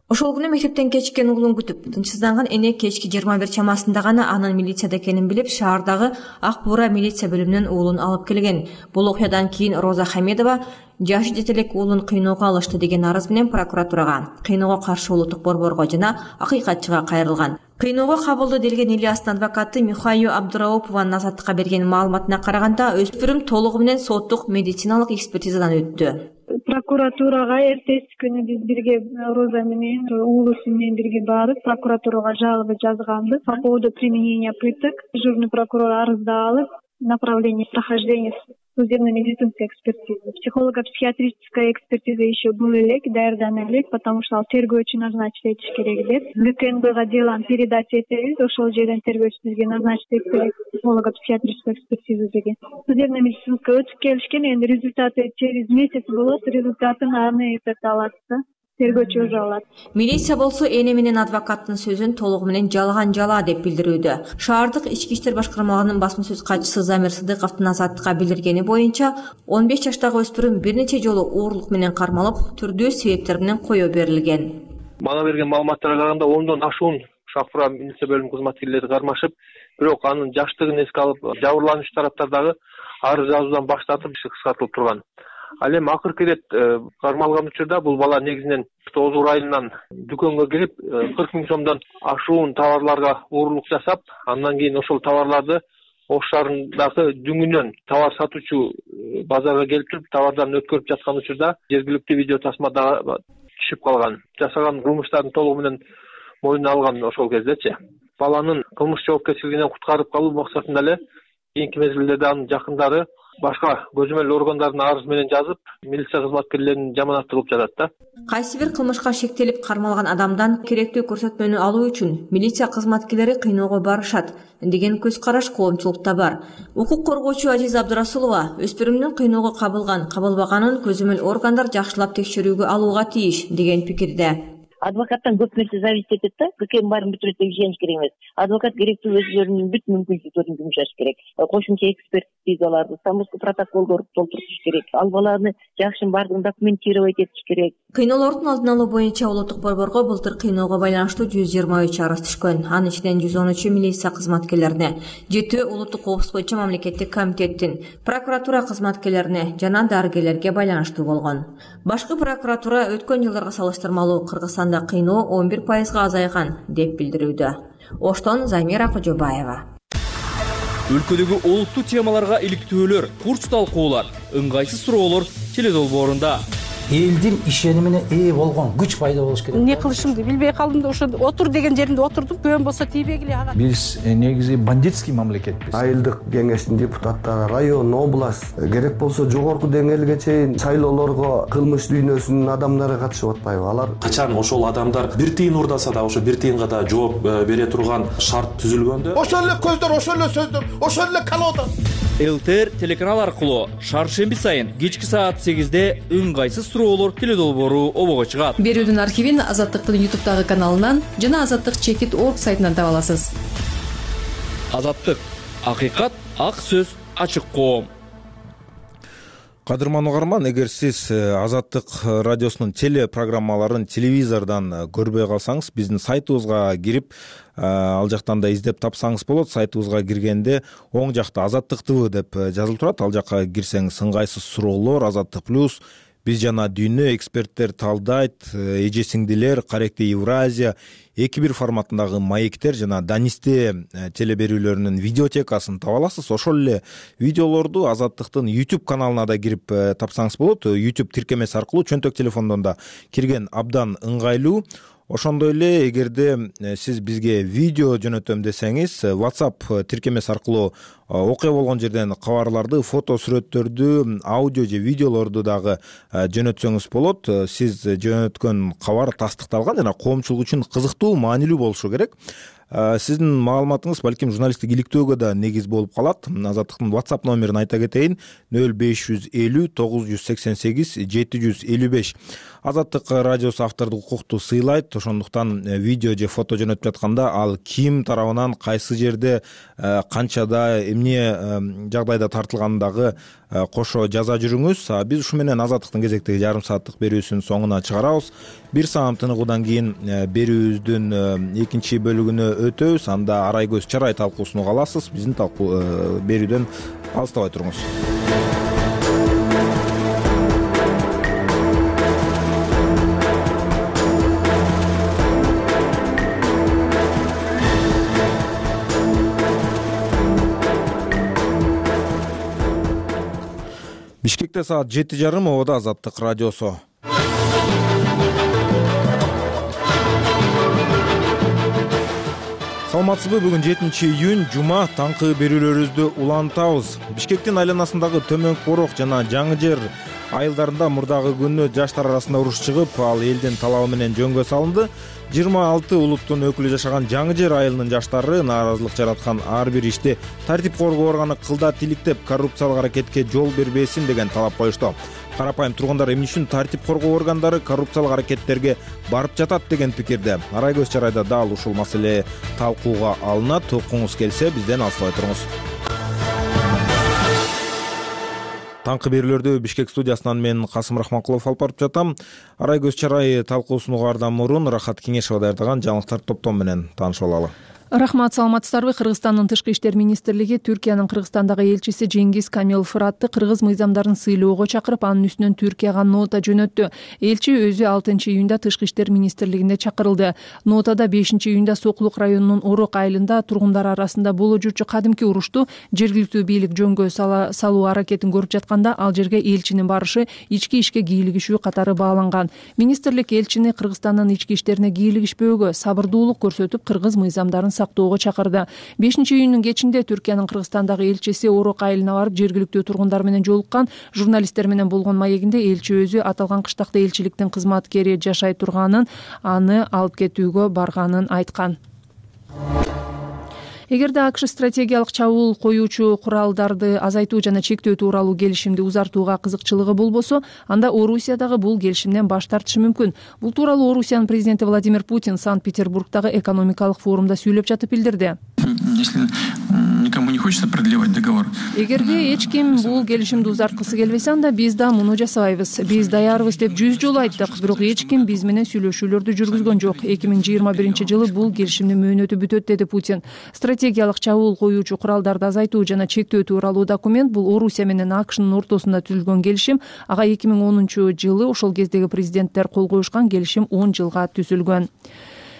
Ошол күнү мектептен кечиккен уулун күтүп, тынчсызданган эне кечки 21 чамасында гана анын милицияда экенин билип, шаардагы Ак Буура милиция бөлүмүнөн уулун алып келген. Бул окуядан кийин Роза Хамедова жашы жете элек уулун кыйноого алышты деген арыз менен прокуратурага, кыйноого каршы улуттук борборго жана акыйкатчыга кайрылган. Кыйноого кабылды делген Ильястын адвокаты Михайо Абдураупованын Азаттыкка берген маалыматына караганда, өспүрүм толугу менен соттук медициналык экспертизадан өттү. Прокуратурага эртеси күнү биз бирге Роза менен уулусу менен бирге барып, прокуратурага жалоба жазганбыз по поводу применения пыток. Дежурный прокурор арызды алып, направление прохождения судебно-медицинской экспертизы. Психолого-психиатрическая экспертиза еще был элек, даярдана элек, потому что ал тергөөчү назначить этиш керек деп. ГКНБга дело передать этебиз, ошол жерден тергөөчү бизге назначить этти психолого-психиатрическую экспертизу деген. Судебно-медицинская өтүп келишкен, энди результаты через месяц болот, результатын аны алат да. Тергөөчү өзү алат. Милиция болсо эне менен адвокаттын сөзүн толугу менен жалган жала деп билдирүүдө. Шаардык ички иштер башкармалыгынын басма сөз катчысы Замир Сыдыковдун Азаттыкка билдиргени боюнча, 15 жаштагы өспүрүм бир нече жолу оорлук менен кармалып, түрдүү себептер менен коё берилген. Мага берген маалыматтарга караганда 10дон ашуун Ак Буура милиция бөлүмү кызматкерлери кармашып, бирок анын жаштыгын эске алып, жабырлануучу тараптардагы арыз жазуудан баш тартып, иши кыскартылып турган. Ал эми акыркы ирет кармалган учурда бул бала негизинен Озур айылынан дүкөнгө кирип 40 000 сомдон ашуун товарларга оорлук жасап, андан кийин ошол товарларды Ош шаарындагы дүңүнөн товар сатуучу базарга келип туруп, товардарын өткөрүп жаткан учурда жергиликтүү видео тасмада түшүп калган. Жасаган кылмыштардын толугу менен мойнуна алган ошол кездечи. Баланын кылмыш жоопкерчилигинен куткарып калуу максатында эле кийинки мезгилдерде анын жакындары башка көзөмөл органдарына арыз менен жазып, милиция кызматкерлерин жаманат кылып жатат да. Кайсы бир кылмышка шектелип кармалган адамдан керектүү көрсөтмөнү алуу үчүн милиция кызматкерлери кыйноого барышат деген көз караш коомчулукта бар. Укук коргоочу Азиза Абдурасулова өспүрүмдүн кыйноого кабылбаганын көзөмөл органдар жакшылап текшерүүгө алууга тийиш деген пикирде. Адвокаттан көп нерсе зависит этет да, ККМ баарын бүтүрөт деп ишениш керек эмес. Адвокат керектүү өзүлөрүнүн бүт мүмкүнчүлүктөрүн жумшаш керек. Кошумча экспертизаларды, самоско протоколдорду толтуртуш керек. Ал баланы жакшы баардыгын документировать этиш керек. Кыйноолордун алдын алуу боюнча улуттук борборго былтыр кыйноого байланыштуу 123 арыз түшкөн. Анын ичинен 113 милиция кызматкерлерине, 7 улуттук коопсуздук боюнча мамлекеттик комитеттин, прокуратура кызматкерлерине жана дарыгерлерге байланыштуу болгон. Башкы прокуратура өткөн жылдарга салыштырмалуу Кыргызстанда кыйноо 11% азайган деп билдирүүдө. Оштон Замира Кожобаева. Өлкөдөгү олуттуу темаларга иликтөөлөр, курс талкуулар, ыңгайсыз суроолор теледолбоорунда. Элдин ишенимине ээ болгон күч пайда болуш керек. Эмне кылышымды билбей калдым да, ошо отур деген жеримде отурдум. Көөн болсо тийбегиле ага. Биз негизи бандитский мамлекетпиз. Айылдык кеңештин депутаттары, район, область, керек болсо жогорку деңгээлге чейин шайлоолорго кылмыш дүйнөсүнүн адамдары катышып атпайбы? Алар качан ошол адамдар бир тыйын урдаса да, ошо бир тыйынга да жооп бере турган шарт түзүлгөндө, ошол эле көздөр, ошол эле сөздөр, ошол эле колода. ЛТР телеканал аркылуу шаршемби сайын кечки саат 8-де ыңгайсыз суроолор теледолбоору обого чыгат. Берүүдүн архивин Азаттыктын YouTube каналынан жана Азаттык.org сайтынан таба аласыз. Азаттык, акыйкат, ак сөз, ачык коом. Кадырман угарман, эгер сиз Азаттык радиосунун телепрограммаларын телевизордон көрбөй калсаңыз, биздин сайтыбызга кирип, ал жактан да издеп тапсаңыз болот. Сайтыбызга киргенде оң жакта Азаттык ТВ деп жазылып турат. Ал жакка кирсеңиз ыңгайсыз суроолор, Азаттык плюс, биз жана дүйнө, эксперттер талдайт, эже сиңдилер, Каректи Евразия, 2-1 форматындагы маектер жана Данисте телеберүүлөрүнүн видеотекасын таба аласыз. Ошол эле видеолорду Азаттыктын YouTube каналына да кирип тапсаңыз болот. YouTube тиркемеси аркылуу чөнтөк телефондон да кирген абдан ыңгайлуу. Ошондой эле эгерде сиз бизге видео жөнөтөм десеңиз, WhatsApp тиркемеси аркылуу окуя болгон жерден кабарларды, фото сүрөттөрдү, аудио же видеолорду дагы жөнөтсөңүз болот. Сиз жөнөткөн кабар тастыкталган жана коомчулук үчүн кызыктуу, маанилүү болушу керек. Сиздин маалыматыңыз балким журналисттик иликтөөгө да негиз болуп калат. Азаттыктын WhatsApp номерин айта кетейин: 0550 988 755. Азаттык радиосу автордук укукту сыйлайт. Ошондуктан видео же фото жөнөтүп жатканда ал ким тарабынан, кайсы жерде, канчада, эмне жагдайда тартылгандагы кошо жаза жүрүңүз. Биз ушу менен Азаттыктын кезектеги жарым сааттык берүүсүнүн соңуна чыгарабыз. Бир саам тыныгуудан кийин берүүбүздүн экинчи бөлүгүнө өтөбүз. Анда арай көз чарай талкуусун уга аласыз. Биздин берүүдөн алыстабай туруңуз. Бишкекте саат 7:30, ободо Азаттык радиосу. Саламатсызбы? Бүгүн 7-июнь, жума, таңкы берүүлөрүбүздү улантабыз. Бишкектин айланасындагы Төмөнкү Корок жана Жаңы Жер айылдарында мурдагы күнү жаштар арасында уруш чыгып, ал элдин талабы менен жөнгө салынды. 26 улуттун өкүлү жашаган Жаңы Жер айылынын жаштары нааразылык жараткан ар бир ишти тартип коргоо органы кылдат иликтеп, коррупциялык аракетке жол бербесин деген талап коюшту. Карапайым тургундар эмне үчүн тартип коргоо органдары коррупциялык аракеттерге барып жатат деген пикирде. Арай көз чарайда дал ушул маселе талкууга алынат. Окуңуз келсе, бизден алыстабай туруңуз. Таңкы берүүлөрдү Бишкек студиясынан мен Касым Рахманкулов алып барып жатам. Арай көз чарай талкуусун угаардан мурун Рахат Кеңешова даярдаган жаңылыктар топтом менен таанышып алалы. Рахмат, саламатсыздарбы? Кыргызстандын Тышкы иштер министрлиги Түркиянын Кыргызстандагы элчиси Жеңгиз Камил Фыратты кыргыз мыйзамдарын сыйлоого чакырып, анын үстүнөн Түркияга нота жөнөттү. Элчи өзү 6-июнда Тышкы иштер министрлигинде чакырылды. Нотада 5-июнда Сокулук районунун Орок айылында тургундар арасында боло жүрчү кадимки урушту жергиликтүү бийлик жөнгө салуу аракетин көрүп жатканда, ал жерге элчинин барышы ички ишке кийлигишүү катары бааланган. Министрлик элчини Кыргызстандын ички иштерине кийлигишпөөгө, сабырдуулук көрсөтүп, кыргыз мыйзамдарын сактоого чакырды. 5-июнүн кечинде Түркиянын Кыргызстандагы элчиси Орок айылына барып, жергиликтүү тургундар менен жолуккан. Журналисттер менен болгон маегинде элчи өзү аталган кыштакта элчиликтин кызматкери жашай турганын, аны алып кетүүгө барганын айткан. Эгерде АКШ стратегиялык чабуул коюучу куралдарды азайтуу жана чектөө тууралуу келишимди узартууга кызыкчылыгы болбосо, анда Орусия дагы бул келишимден баш тартышы мүмкүн. Бул тууралуу Орусиянын президенти Владимир Путин Санкт-Петербургдагы экономикалык форумда сүйлөп жатып билдирди. Если никому не хочется продлевать договор. Эгерде эч ким бул келишимди узарткысы келбесе, анда биз да муну жасабайбыз. Биз даярбыз деп 100 жолу айттык, бирок эч ким биз менен сүйлөшүүлөрдү жүргүзгөн жок. 2021-жылы бул келишимдин мөөнөтү бүтөт, деди Путин. Стратегиялык чабуул коюучу куралдарды азайтуу жана чектөө тууралуу документ бул Орусия менен АКШнын ортосунда түзүлгөн келишим. Ага 2010-жылы ошол кездеги президенттер кол коюшкан келишим 10 жылга түзүлгөн.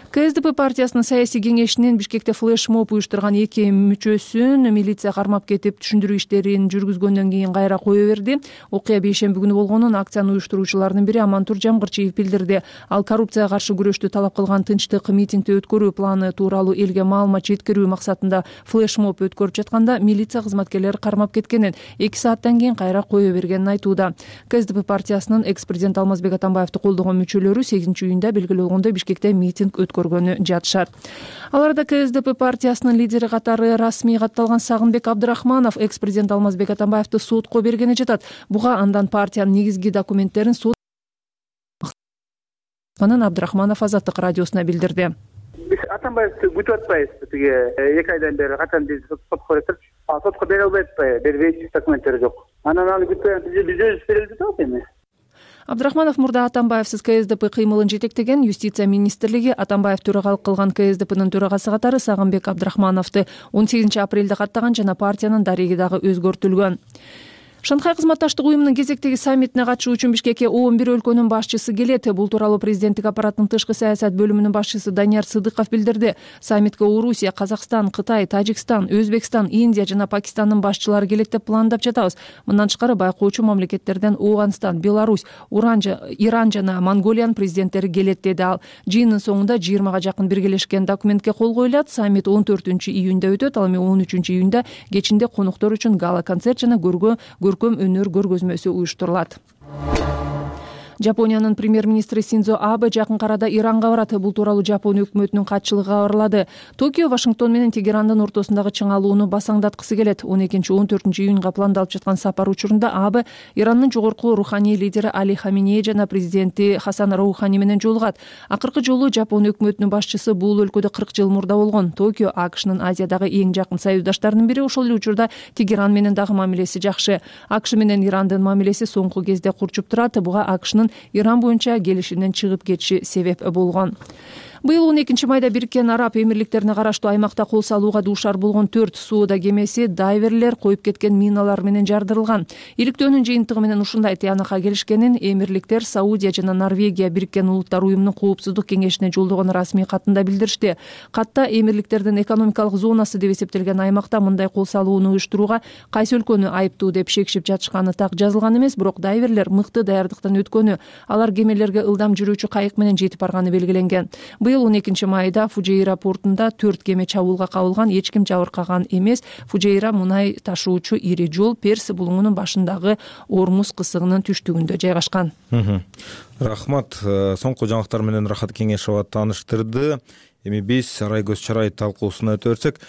КСДП партиясынын саясий кеңешинин Бишкекте флешмоб уюштурган 2 мүчөсүн милиция кармап кетип, түшүндүрүү иштерин жүргүзгөндөн кийин кайра кое берди. Окуя бейшемби күнү болгонун акцияны уюштуруучулардын бири Амантур Жамгырчиев билдирди. Ал коррупцияга каршы күрөштү талап кылган тынчтык митингди өткөрүү планы тууралуу элге маалымат жеткирүү максатында флешмоб өткөрүп жатканда милиция кызматкерлери кармап кеткенин, 2 сааттан кийин кайра кое бергенин айтууда. КСДП партиясынын экс-президент Алмазбек Атамбаевди колдогон мүчөлөрү 8-июнда белгилегендей Бишкекте митинг көргөнү жатышат. Аларда КСДП партиясынын лидери катары расмий катталган Сагынбек Абдрахманов экс-президент Алмазбек Атамбаевди сотко бергени жатат. Буга андан партиянын негизги документтерин сот Абдрахманов Азаттык радиосуна билдирди. Биз Атамбаевди күтүп атпайбыз. Тиги 2 айдан бери качан биз сотко берип, сотко бере албай атпайбы, бербейт, документтери жок. Анан аны күтпөйбүз, биз өзүбүз берелик деп эми. Абдрахманов мурда Атамбаевсиз КСДП кыймылын жетектеген. Юстиция министрлиги Атамбаев төрагалык кылган КСДПнын төрагасы катары Сагынбек Абдрахмановду 18 апрелде каттаган жана партиянын дареги дагы өзгөртүлгөн. Шанхай кызматташтык уюмунун кезектеги саммитине катышуу үчүн Бишкекке 11 өлкөнүн башчысы келет. Бул тууралуу президенттик аппараттын тышкы саясат бөлүмүнүн башчысы Данияр Сыдыков билдирди. Саммитке Орусия, Казакстан, Кытай, Тажикстан, Өзбекстан, Индия жана Пакистандын башчылары келет деп пландап жатабыз. Мындан тышкары байкоочу мамлекеттерден Ооганстан, Беларусь, Иран жана Монголиянын президенттери келет, деди ал. Жыйындын соңунда 20га жакын биргелешкен документке кол коюлат. Саммит 14-июнда өтөт. Ал эми 13-июнда кечинде коноктор үчүн гала концерт жана көркөм өнөр көргөзмөсү уюштурулат. Жапониянын премьер-министри Синдзо Абе жакын арада Иранга барат. Бул тууралуу Жапон өкмөтүнүн катчылыгы кабарлады. Токио Вашингтон менен Тегерандын ортосундагы чыңалууну басаңдаткысы келет. 12-14 июнга пландалып жаткан сапар учурунда Абе Ирандын жогорку руханий лидери Али Хаминеи жана президенти Хасан Роухани менен жолугат. Акыркы жолу Жапон өкмөтүнүн башчысы бул өлкөдө 40 жыл мурда болгон. Токио АКШнын Азиядагы эң жакын союздаштарынын бири. Ошол эле учурда Тегеран менен дагы мамилеси жакшы. АКШ менен Ирандын мамилеси соңку кезде курчуп турат. Буга АКШнын Иран боюнча келишимден чыгып кетиши себеп болгон. Быйыл 12 майда Бириккен Араб Эмирликтерине караштуу аймакта кол салууга дуушар болгон 4 сууда кемеси дайверлер коюп кеткен миналар менен жардырылган. Иликтөөнүн жыйынтыгы менен ушундай тыянакка келишкенин Эмирликтер Саудия жана Норвегия Бириккен Улуттар уюмунун коопсуздук кеңешине жолдогон расмий катында билдиришти. Катта Эмирликтердин экономикалык зонасы деп эсептелген аймакта мындай кол салууну уюштурууга кайсы өлкөнү айыптуу деп шекшип жатышканы так жазылган эмес, бирок дайверлер мыкты даярдыктан өткөнү, алар кемелерге ылдам жүрүүчү кайык менен жетип барганы белгиленген. Быйыл 12 майда Фужейра портунда 4 кеме чабуулга кабылган, эч ким жабыркаган эмес. Фужейра мунай ташуучу ири жол Перс булуңунун башындагы Ормуз кысыгынын түштүгүндө жайгашкан. Рахмат. Соңку жаңылыктар менен Рахат Кеңешова тааныштырды. Эми биз Арай көз чарай талкуусуна өтө берсек,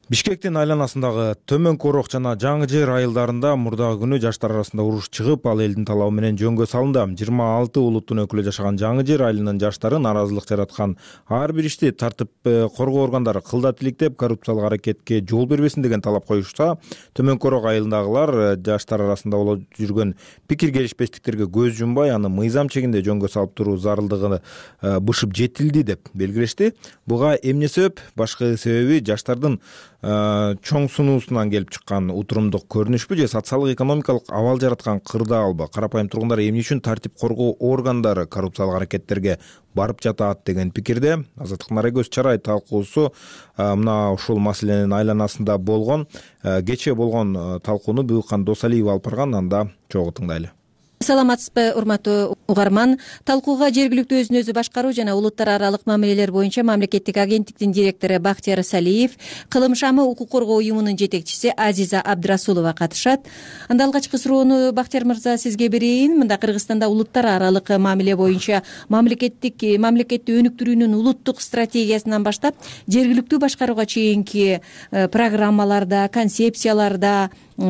Бишкектин айланасындагы Төмөн Корок жана Жаңы Жер айылдарында мурдагы күнү жаштар арасында уруш чыгып, ал элдин талабы менен жөнгө салынды. 26 улуттун өкүлү жашаган Жаңы Жер айылынын жаштары наразылык жараткан ар бир ишти тартип коргоо органдары кылдат иликтеп, коррупциялык аракетке жол бербесин деген талап коюшса, Төмөн Корок айылындагылар жаштар арасында болуп жүргөн пикир келишпестиктерге көз жумбай, аны мыйзам чегинде жөнгө салып туруу зарылдыгы бышып жетилди деп белгилешти. Буга эмне себеп? Башкы себеби жаштардын чоң сунуусунан келип чыккан утурумдук көрүнүшпү же социалдык экономикалык абал жараткан кырдаалбы? Карапайым тургундар эмне үчүн тартип коргоо органдары коррупциялык аракеттерге барып жатат деген пикирде. Азаттыктын Арай көз чарай талкуусу мына ушул маселенин айланасында болгон, кечээ болгон талкууну Буюкхан Досалиева алып барган, анда чогуу тыңдайлы. Саламатсызбы, урматтуу угарман. Талкууга жергиликтүү өзүн өзү башкаруу жана улуттар аралык мамилелер боюнча мамлекеттик агенттиктин директору Бактияр Салиев, Кылым шамы укук коргоо уюмунун жетекчиси Азиза Абдрасулова катышат. Анда алгачкы суроону Бактияр мырза сизге берейин. Мында Кыргызстанда улуттар аралык мамиле боюнча мамлекетти өнүктүрүүнүн улуттук стратегиясынан баштап жергиликтүү башкарууга чейинки программаларда, концепцияларда,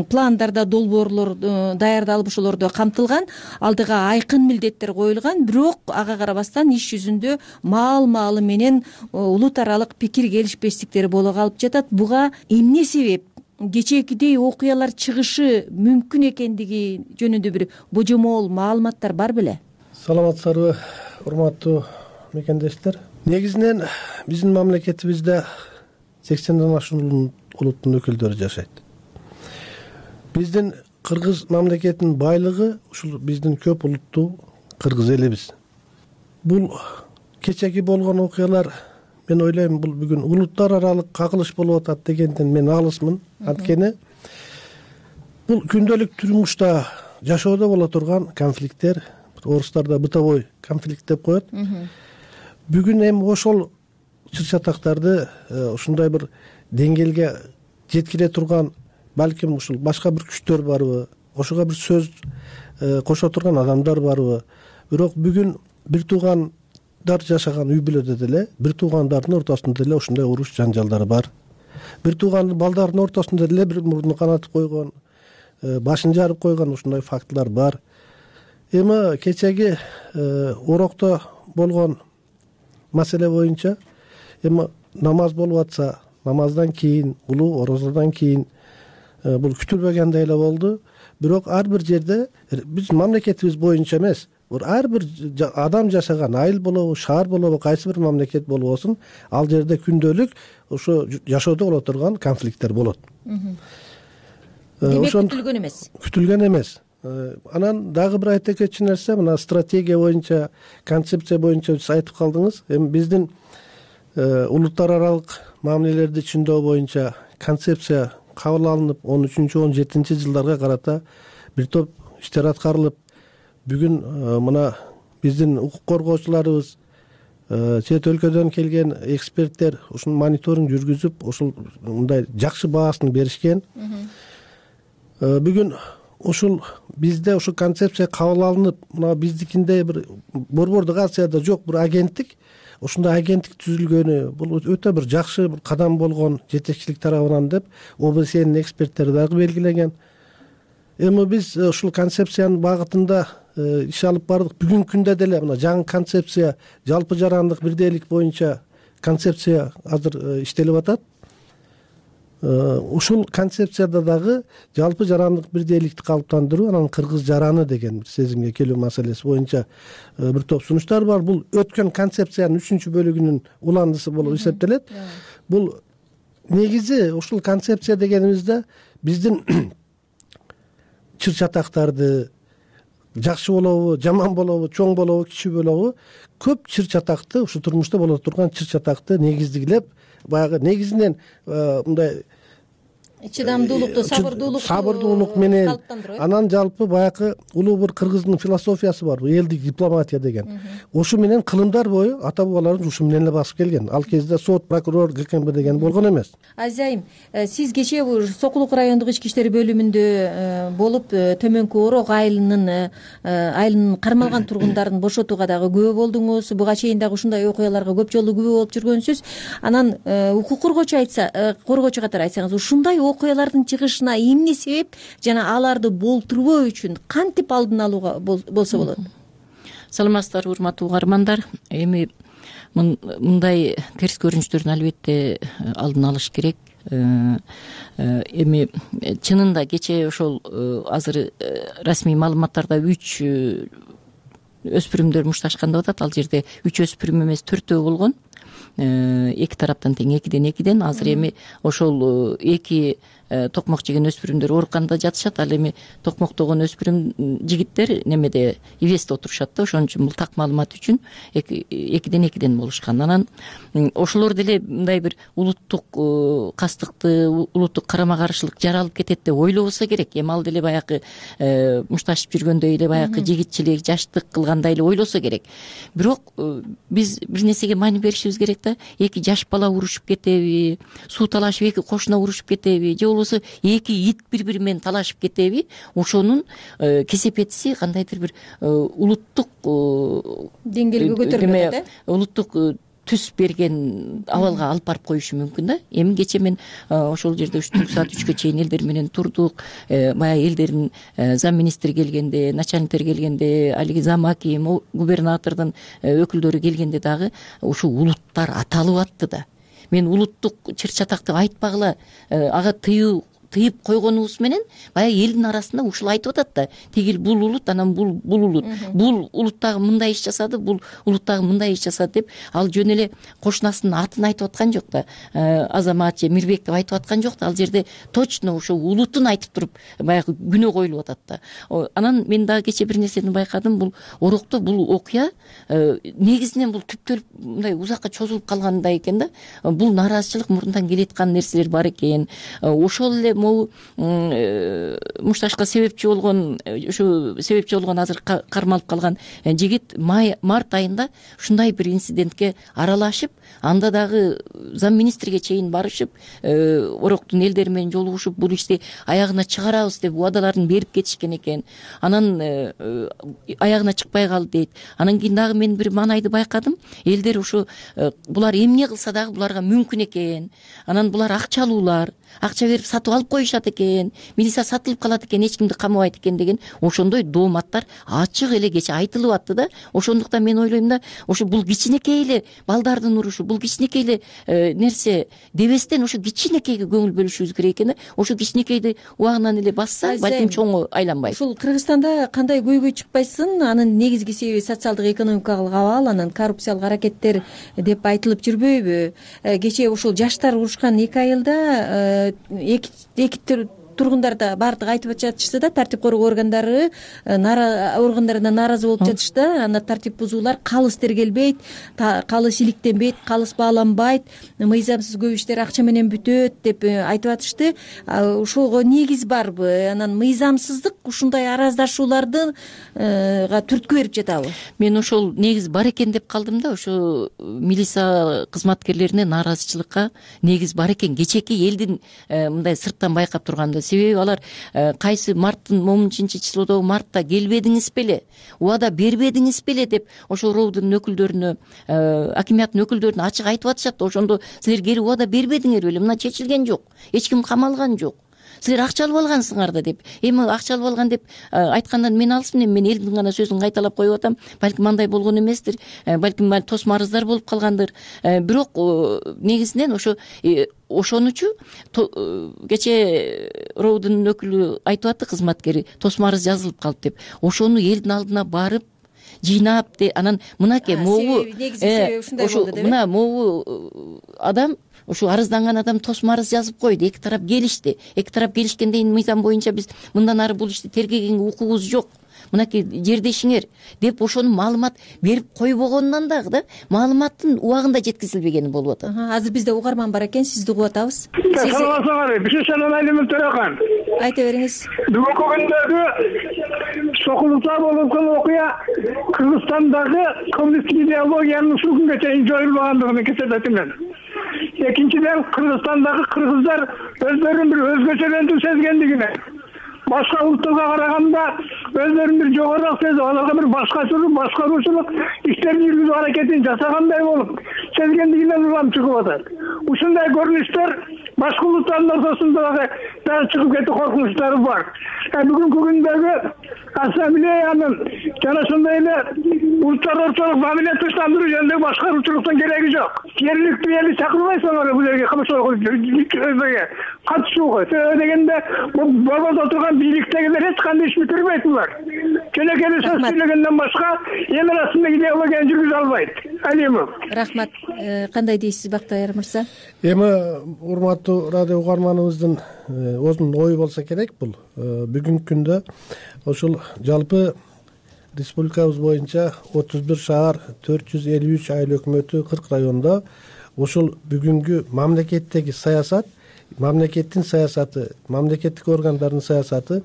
пландарда, долбоорлор даярдалып ошолордо камтылган, алдыга айкын милдеттер коюлган, бирок ага карабастан иш жүзүндө маал-маалы менен улут аралык пикир келишпестиктер боло калып жатат. Буга эмне себеп? Кечээкидей окуялар чыгышы мүмкүн экендиги жөнүндө бир божомол маалыматтар бар беле? Саламатсыздарбы, урматтуу мекендештер. Негизинен биздин мамлекетибизде 80ден ашуун улуттун өкүлдөрү жашайт. Биздин кыргыз мамлекетинин байлыгы ушул биздин көп улуттуу кыргыз элибиз. Бул кечеги болгон окуялар, мен ойлойм, бул бүгүн улуттар аралык кагылыш болуп атат дегенден мен алысмын. Анткени бул күндөлүк турмушта жашоодо боло турган конфликттер, орустарда бытовой конфликт деп коет. Бүгүн эми ошол чыр-чатактарды ушундай бир деңгээлге жеткире турган балким ушул башка бир күчтөр барбы, ошого бир сөз кошо турган адамдар барбы? Бирок бүгүн бир туугандар жашаган үй бүлөдө деле, бир туугандардын ортосунда деле ушундай уруш жанжалдар бар. Бир тууган балдардын ортосунда деле бир мурдун канатып койгон, башын жарып койгон ушундай фактылар бар. Эми кечеги Орокто болгон маселе боюнча эми намаз болуп атса, намаздан кийин, улуу орозодон кийин бул күтүлбөгөндөй эле болду. Бирок ар бир жерде биз мамлекетибиз боюнча эмес, ар бир адам жашаган айыл болобу, шаар болобу, кайсы бир мамлекет болбосун, ал жерде күндөлүк ошо жашоодо боло турган конфликттер болот. Демек күтүлгөн эмес. Күтүлгөн эмес. Анан дагы бир айта кетчү нерсе, мына стратегия боюнча, концепция боюнча сиз айтып калдыңыз. Эми биздин улуттар аралык мамилелерди түшүндөө боюнча концепция кабыл алынып, 13-17 жылдарга карата бир топ иштер аткарылып, бүгүн мына биздин укук коргоочуларыбыз, чет өлкөдөн келген эксперттер ушун мониторинг жүргүзүп, ушул мындай жакшы баасын беришкен. Бүгүн ушул бизде ушул концепция кабыл алынып, мына биздикинде бир борбордук акцияда жок бир агенттик, ушундай агенттик түзүлгөнү бул өтө бир жакшы бир кадам болгон жетекчилик тарабынан деп ОБСЕнин эксперттери дагы белгилеген. Эми биз ушул концепциянын багытында иш алып бардык. Бүгүнкү күндө деле мына жаңы концепция, жалпы жарандык бирдейлик боюнча концепция азыр иштелип атат. Ушул концепцияда дагы жалпы жарандык бирдейликти калыптандыруу, анан кыргыз жараны деген бир сезимге келүү маселеси боюнча бир топ сунуштар бар. Бул өткөн концепциянын 3 бөлүгүнүн уландысы болуп эсептелет. Бул негизи ушул концепция дегенибизде биздин чыр чатактарды жакшы болобу, жаман болобу, чоң болобу, кичүү болобу, көп чыр чатакты, ушу турмушта боло турган чыр чатакты негиздилеп, баягы негизинен мындай чыдамдуулукту, сабырдуулук менен, анан жалпы баягы улуу бир кыргыздын философиясы бар, элдик дипломатия деген. Ошо менен кылымдар бою ата бабаларыбыз ушу менен эле басып келген. Ал кезде сот, прокурор, ГКМБ деген болгон эмес. Азайым, сиз кечээ Сокулук райондук ички иштер бөлүмүндө болуп, Төмөнкү Орок айылынын кармалган тургундарын бошотууга дагы күбө болдуңуз. Буга чейин дагы ушундай окуяларга көп жолу күбө болуп жүргөнсүз. Анан укук коргоочу катары айтсаңыз, ушундай окуялардын чыгышына эмне себеп жана аларды болтурбоо үчүн кантип алдын алууга болсо болот? Саламатсыздарбы, урматтуу угармандар. Эми мындай терс көрүнүштөрдүн албетте алдын алыш керек. Эми чынында кечээ ошол азыр расмий маалыматтарда 3 өспүрүмдөр мушташкан деп атат. Ал жерде 3 өспүрүм эмес 4 болгон. Эки тараптан тең 2-2. Азыр эми ошол 2 токмок жеген өспүрүмдөр ооруканада жатышат. Ал эми токмоктогон өспүрүм жигиттер немеде ивесте отурушат да. Ошон үчүн бул так маалымат үчүн 2-2 болушкан. Анан ошолор деле мындай бир улуттук кастыкты, улуттук карама каршылык жаралып кетет деп ойлобосо керек. Эми ал деле баягы мушташып жүргөндөй эле баягы жигитчилик, жаштык кылгандай эле ойлосо керек. Бирок биз бир нерсеге маани беришибиз керек да. 2 жаш бала урушуп кетеби, суу талашып 2 кошуна урушуп кетеби, же болбосо 2 ит бири-бири менен талашып кетеби, ошонун кесепетиси кандайдыр бир улуттук деңгээлге көтөрүлөт да. Улуттук түс берген абалга алып барып коюшу мүмкүн да. Эми кечээ мен ошол жерде түнкү саат 3кө чейин элдер менен турдук. Баягы элдердин зам министр келгенде, начальниктер келгенде, алиги зам аким, губернатордун өкүлдөрү келгенде дагы ушул улуттар аталып атты да. Мен улуттук чыр чатакты айтпагыла, ага тыйып койгонубуз менен баягы элдин арасында ушул айтып атат да. Тигил бул улут, анан бул улут. Бул улуттагы мындай иш жасады, бул улуттагы мындай иш жасады деп ал жөн эле кошунасынын атын айтып аткан жок да. Азамат же Мирбек деп айтып аткан жок да. Ал жерде точно ошол улутун айтып туруп баягы күнөө коюлуп атат да. Анан мен дагы кечээ бир нерсени байкадым. Бул Орокто бул окуя негизинен бул түптөлүп мындай узакка чозулуп калгандай экен да. Бул нааразычылык мурундан келеаткан нерселер бар экен. Ошол эле могу мушташка себепчи болгон азыр кармалып калган жигит март айында ушундай бир инцидентке аралашып, анда дагы зам министрге чейин барышып, Ороктун элдери менен жолугушуп, бул ишти аягына чыгарабыз деп убадаларын берип кетишкен экен. Анан аягына чыкпай калды дейт. Анан кийин дагы мен бир маанайды байкадым. Элдер ушу булар эмне кылса дагы буларга мүмкүн экен. Анан булар акчалуулар, акча берип сатып алып коюшат экен, милиция сатылып калат экен, эч кимди камабайт экен деген ошондой дооматтар ачык эле кечээ айтылып атты да. Ошондуктан мен ойлойм да, ошо бул кичинекей эле балдардын урушу, бул кичинекей эле нерсе дебестен ошо кичинекейге көңүл бөлүшүбүз керек экен да. Ошо кичинекейди убагынан эле басса, балким чоңго айланбайт. Ушул Кыргызстанда кандай көйгөй чыкпайсын, анын негизги себеби социалдык экономикалык абал, анан коррупциялык аракеттер деп айтылып жүрбөйбү? Кечээ ушул жаштар урушкан 2 айылда эки тургундар да баардыгы айтып жатышты да, тартип коргоо органдарына нааразы болуп жатышты. Анда тартип бузуулар калыс тергелбейт, калыс иликтенбейт, калыс бааланбайт, мыйзамсыз көп иштер акча менен бүтөт деп айтып атышты. Ушуга негиз барбы? Анан мыйзамсыздык ушундай араздашууларды түрткү берип жатабы? Мен ошол негиз бар экен деп калдым да. Ошо милиция кызматкерлерине нааразычылыкка негиз бар экен. Кечээки элдин мындай сырттан байкап турганда себеби алар кайсы марттын 10-числодогу мартта келбедиңиз беле, убада бербедиңиз беле деп ошол роодун өкүлдөрүнө, акимияттын өкүлдөрүнө ачык айтып атышат. Ошондо силер келип убада бербедиңер беле, мына чечилген жок, эч ким камалган жок, силер акча алып алгансыңар да деп. Эми акча алып алган деп айткандан мен алысмын, эми мен элдин гана сөзүн кайталап коюп атам. Балким андай болгон эместир, балким тосмо арыздар болуп калгандыр. Бирок негизинен ошонучу кечээ роодун өкүлү айтып атты, кызматкери тосмо арыз жазылып калып деп. Ошону элдин алдына барып жыйнап, анан мынакей могу мына могу адам, ушу арызданган адам тосмо арыз жазып койду, эки тарап келишти. Эки тарап келишкенден мыйзам боюнча биз мындан ары бул ишти тергегенге укугубуз жок, мынакей жердешиңер деп ошону маалымат берип койбогонунан дагы да маалыматтын убагында жеткизилбегени болуп атат. Азыр бизде угарман бар экен, сизди угуп атабыз. Саламатсыңарбы? Бишешенен Айлымын Төрөкан. Айта бериңиз. Бүгүнкү күндөгү сокулукта болгон окуя Кыргызстандагы коммунисттик идеологиянын ушул күнгө чейин жоюлбагандыгын көрсөтөт мен. Экинчиден, Кыргызстандагы кыргыздар өздөрүн бир өзгөчөлөндү сезгендигине, башка улуттарга караганда өздөрүн бир жогорураак сезип, аларга бир башкаруучулук иштерин жүргүзүү аракетин жасагандай болуп сезгендигинен улам чыгып атат. Ушундай көрүнүштөр башка улуттардын ортосунда дагы чыгып кетүү коркунучтары бар. Бүгүнкү күндөгү ассамблеянын жана ошондой эле улуттар ортолук мамиле тынчтандыруу жөнүндө башкаруучулуктун кереги жок. Жергиликтүү элди чакырбайсыңар бул жерге катышууга. Себеби дегенде борбордо отурган бийликтегилер эч кандай иш бүтүрбөйт булар. Кенекели сөз сүйлөгөндөн башка эми расында идеологияны жүргүзө албайт. Алимов. Рахмат. Кандай дейсиз Бактыайыр мырза? Эми урматтуу радио угарманыбыздын өзүнүн ою болсо керек бул. Бүгүнкү күндө ошол жалпы республикабыз боюнча 31 шаар, 453 айыл өкмөтү, 40 райондо ошол бүгүнкү мамлекеттеги саясат, мамлекеттин саясаты, мамлекеттик органдардын саясаты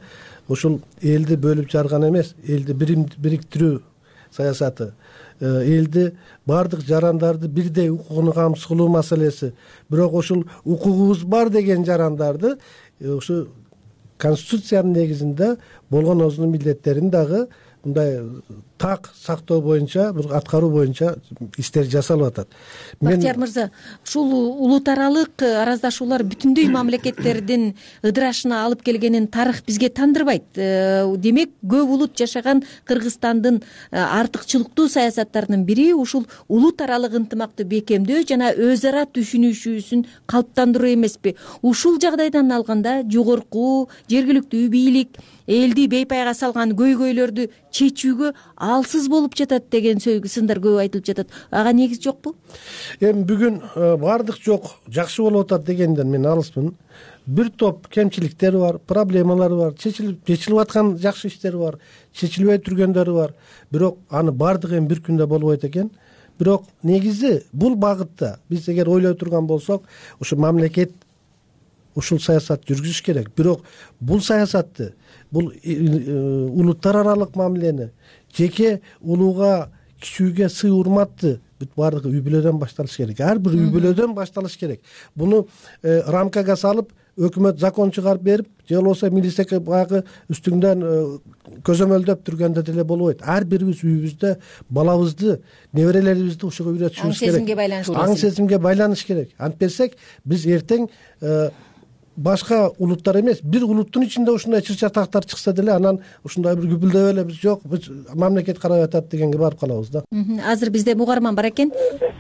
ошол элди бөлүп жарган эмес, элди бириктирүү саясаты, элди баардык жарандарды бирдей укугуну камсыз кылуу маселеси. Бирок ошол укугубуз бар деген жарандарды ушу конституциянын негизинде болгон өзүнүн милдеттерин дагы мындай так сактоо боюнча, бир аткаруу боюнча иштер жасалып атат. Бактияр мырза, ушул улут аралык араздашуулар бүтүндөй мамлекеттердин ыдырашына алып келгенин тарых бизге тандырбайт. Демек, көп улут жашаган Кыргызстандын артыкчылыктуу саясаттарынын бири ушул улут аралык ынтымакты бекемдөө жана өз ара түшүнүшүүсүн калыптандыруу эмеспи? Ушул жагдайдан алганда жогорку жергиликтүү бийлик элди бейпайга салган көйгөйлөрдү чечүүгө алсыз болуп жатат деген сындар көп айтылып жатат. Ага негиз жокпу? Эми бүгүн баардык жок, жакшы болуп атат дегенден мен алысмын. Бир топ кемчиликтери бар, проблемалары бар, чечилип аткан жакшы иштери бар, чечилбей жүргөндөрү бар. Бирок аны баардыгы эми бир күндө болбойт экен. Бирок негизи бул багытта биз эгер ойлой турган болсок, ушу мамлекет ушул саясат жүргүзүш керек. Бирок бул саясатты, бул улуттар аралык мамилени, жеке улууга, кичүүгө сый урматты бүт баардыгы үй бүлөдөн башталыш керек. Ар бир үй бүлөдөн башталыш керек. Буну рамкага салып, өкмөт закон чыгарып берип, же болбосо милиция багы үстүңдөн көзөмөлдөп турганда деле болбойт. Ар бирибиз үйүбүздө балабызды, неберелерибизди ушуга үйрөтүшүбүз керек. Аң сезимге байланыш керек. Антпесек биз эртең башка улуттар эмес, бир улуттун ичинде ушундай чыр-чатактар чыкса деле, анан ушундай бир күбүлдөп эле биз жок, биз мамлекет карап атат дегенге барып калабыз да. Азыр бизде угарман бар экен.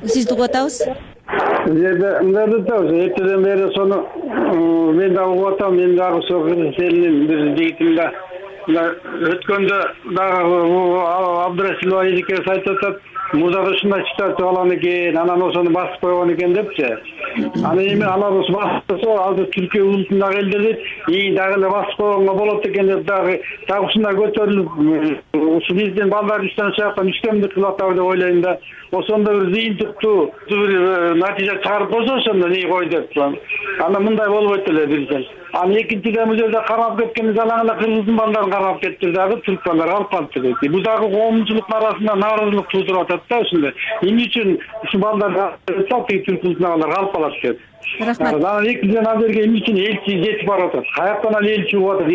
Сизди угуп атабыз. Мындай атабыз. Эртеден бери сону мен дагы угуп атам, мен дагы ошол Кыргызстандын бир жигитим да өткөндө дагы Абдырасилова эжекебиз айтып атат. Мурдагы ушундай ситуация болгон экен, анан ошону басып койгон экен депчи. Аны эми алар ошо басса, азыр Түркия улутундагы элдер дейт, дагы эле басып койгонго болот экен деп дагы ушундай көтөрүлүп, ушу биздин балдар иштен чыгып үстөмдүк кылып атабы деп ойлойм да. Ошондо бир зыйынтыктуу бир натыйжа чыгарып койсо, ошондо не кой деп. Анан мындай болбойт эле бирден. Аны экинчиден бул жерде карап кеткенде алаңда кыргыздын балдарын карап кетти дагы, түрк балдары калып калыптыр дейт. Бул дагы коомчулуктун арасында нааразылык туудуруп атат да ушундай. Эмне үчүн ушу балдар түрк улутундагылар калып калат деп. Рахмат. Анан экинчиден ал жерге эмне үчүн элчи жетип барып атат? Каяктан ал элчи угуп атат?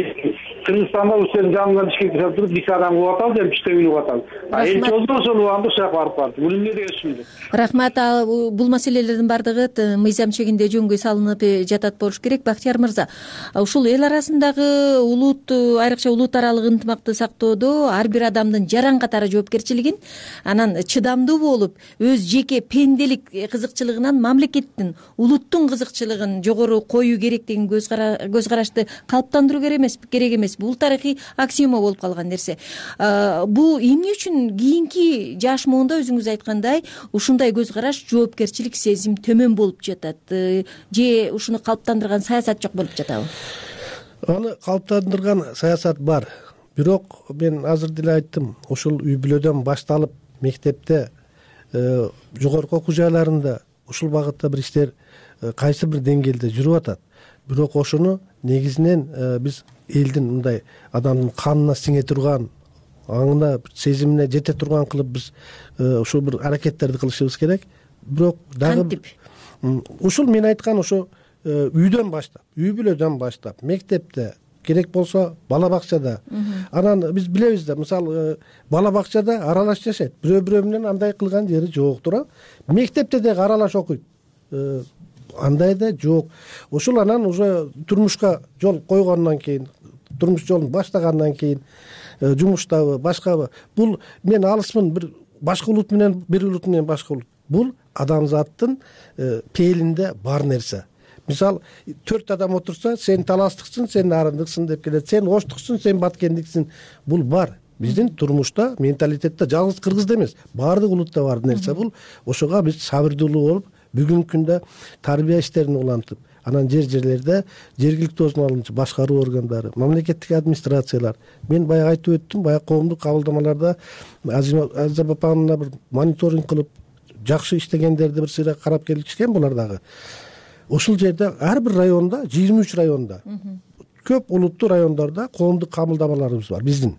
Кыргызстанда ушул жанынан Бишкекке чыгып туруп 2 адам угуп атат, жана 3 угуп атат. Элчи болсо ошол убагында ушул жака барып барды. Бул эмне деген түшүндү? Рахмат. Бул маселелердин бардыгы мыйзам чегинде жөнгө салынып жатат болуш керек. Бактияр мырза, ушул эл арасындагы улут, айрыкча улут аралык ынтымакты сактоодо ар бир адамдын жаран катары жоопкерчилигин, анан чыдамдуу болуп, өз жеке пенделик кызыкчылыгынан мамлекеттин, улуттун кызыкчылыгын жогору коюу керек деген көз карашты калыптандыруу керек эмес. Бул тарыхый аксиома болуп калган нерсе. Бул эмне үчүн кийинки жаш муунда өзүңүз айткандай ушундай көз караш, жоопкерчилик сезим төмөн болуп жатат? Же ушуну калыптандырган саясат жок болуп жатабы? Аны калыптандырган саясат бар. Бирок мен азыр деле айттым, ушул үй бүлөдөн башталып мектепте, жогорку окуу жайларында ушул багытта бир иштер кайсы бир деңгээлде жүрүп атат. Бирок ошону негизинен биз элдин мындай адамдын канына сиңе турган, аңына, сезимине жете турган кылып биз ушул бир аракеттерди кылышыбыз керек. Бирок дагы ушул мен айткан ошо үйдөн баштап, үй бүлөдөн баштап, мектепте, керек болсо бала бакчада. Анан биз билебиз да, мисалы бала бакчада аралаш жашайт. Бирөө менен андай кылган жери жок тура. Мектепте дагы аралаш окуйт. Андай да жок. Ошол анан уже турмушка жол койгондон кийин, турмуш жолун баштагандан кийин жумуштабы, башкабы. Бул мен алысмын бир башка улут менен, бир улут менен башка улут. Бул адамзаттын пээлинде бар нерсе. Мисалы 4 адам отурса, сен таластыксың, сен нарындыксың деп келет. Сен оштуксың, сен баткендиксиң. Бул бар. Биздин турмушта, менталитетте жалгыз кыргызда эмес, баардык улутта бар нерсе бул. Ошого биз сабырдуулуу болуп, бүгүнкү күндө тарбия иштерин улантып, анан жерлерде жергиликтүү өзүн алуучу башкаруу органдары, мамлекеттик администрациялар. Мен баягы айтып өттүм, баягы коомдук кабылдамаларда Азиза апамына бир мониторинг кылып, жакшы иштегендерди бир сыйра карап келишкен булар дагы. Ошол жерде ар бир районда, 23 районда, көп улуттуу райондордо коомдук кабылдамаларыбыз бар биздин.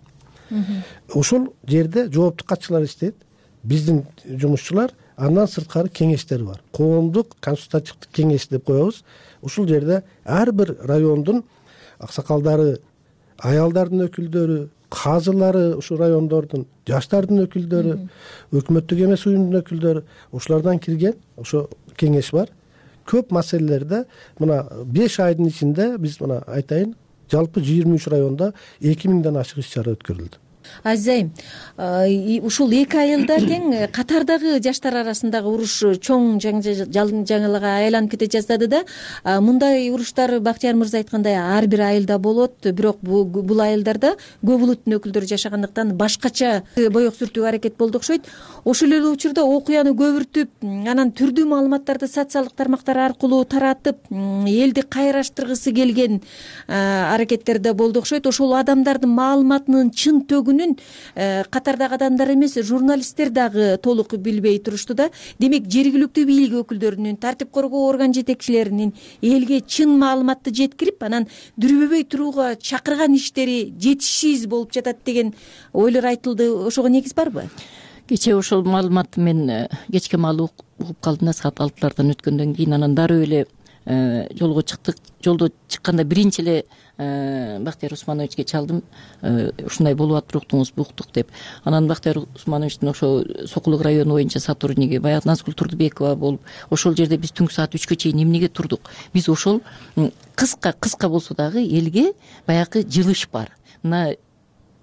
Ошол жерде жооптук катчылар иштейт, биздин жумушчулар, андан сырткары кеңештер бар. Коомдук консультативдик кеңеш деп коебуз. Ушул жерде ар бир райондун аксакалдары, аялдардын өкүлдөрү, казылары, ушул райондордун жаштардын өкүлдөрү, өкмөттүк эмес уюмдун өкүлдөрү, ушулардан кирген ошо кеңеш бар. Көп маселелерде мына 5 айдын ичинде биз мына айтайын, жалпы 23 районда 2000ден ашык иш-чара өткөрүлдү. Азизайым, ушул 2 айылда тең катардагы жаштар арасындагы уруш чоң жаңылыкка айланып кете жаздады да. Мындай уруштар Бактияр мырза айткандай ар бир айылда болот, бирок бул айылдарда көп улуттун өкүлдөрү жашагандыктан башкача боек сүртүүгө аракет болду окшойт. Ошол эле учурда окуяны көбүртүп, анан түрдүү маалыматтарды социалдык тармактар аркылуу таратып, элди кайраштыргысы келген аракеттерде болду окшойт. Ошол адамдардын маалыматынын чын төгүнүн катардагы адамдар эмес, журналисттер дагы толук билбей турушту да. Демек, жергиликтүү бийлик өкүлдөрүнүн, тартип коргоо орган жетекчилеринин элге чын маалыматты жеткирип, анан дүрбөбөй турууга чакырган иштери жетишсиз болуп жатат деген ойлор айтылды. Ошого негиз барбы? Кечээ ошол маалыматты мен кечке маал угуп калдым да, саат 6-лардан өткөндөн кийин. Анан дароо эле жолго чыктык. Жолдо чыкканда биринчи эле Бактияр Усмановичке чалдым, ушундай болуп атып уктуңуз, буктук деп. Анан Бактияр Усмановичтин ошо Сокулук району боюнча сотрудниги баягы Назгүл Турдубекова болуп, ошол жерде биз түнкү саат 3кө чейин эмнеге турдук? Биз ошол кыска болсо дагы элге баягы жылыш бар. Мына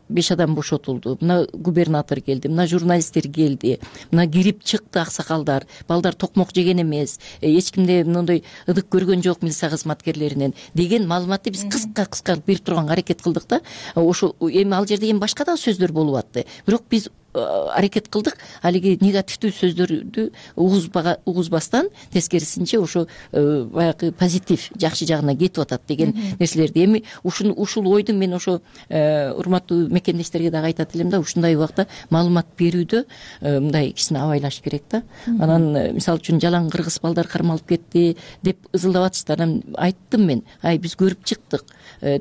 5 адам бошотулду, мына губернатор келди, мына журналисттер келди, мына кирип чыкты аксакалдар, балдар токмок жеген эмес, эч кимде мындай ыдык көргөн жок милиция кызматкерлеринен деген маалыматты биз кыска берип турганга аракет кылдык да. Ошо эми ал жерде эми башка да сөздөр болуп атты. Бирок биз аракет кылдык алиги негативдүү сөздөрдү угузбастан, тескерисинче ошо баягы позитив, жакшы жагына кетип атат деген нерселерди. Эми ушул ойду мен ошо урматтуу мекендештерге дагы айтат элем да, ушундай убакта маалымат берүүдө мындай кичине абайлаш керек да. Анан мисалы үчүн жалаң кыргыз балдар кармалып кетти деп ызылдап атышты. Анан айттым мен, биз көрүп чыктык,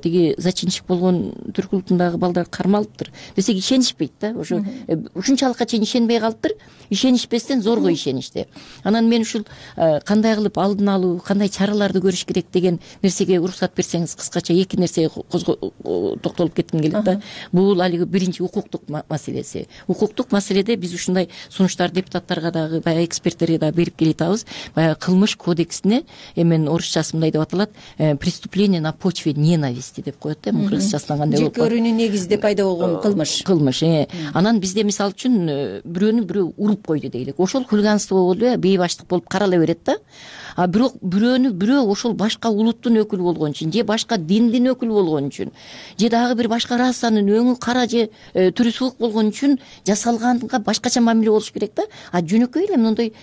тиги зачинщик болгон Түрк улутундагы балдар кармалыптыр десек ишенишпейт да. Ошо ушунчалыкка чейин ишенбей калыптыр. Ишенишпестен зорго ишеништи. Анан мен ушул кандай кылып алдын алуу, кандай чараларды көрүш керек деген нерсеге уруксат берсеңиз, кыскача эки нерсеге токтолуп кетким келет да. Бул алиги биринчи укуктук маселеси. Укуктук маселеде биз ушундай сунуштар депутаттарга дагы, баягы эксперттерге дагы берип келатабыз. Баягы кылмыш кодексине эмен орусчасы мындай деп аталат, преступление на почве ненависти деп коет да. Кыргызчасынан кандай болуп калат? Жек көрүүнүн негизинде пайда болгон кылмыш. Анан бизде мисалы үчүн бирөөнү бирөө уруп койду дейлик. Ошол хулиганство болуп бейбаштык болуп карала берет да. А бирок бирөөнү бирөө ошол башка улуттун өкүлү болгон үчүн, же башка диндин өкүлү болгон үчүн, же дагы бир башка расанын өңү кара же түрү суук болгон үчүн жасалганга башкача мамиле болуш керек да. А жөнөкөй эле мындай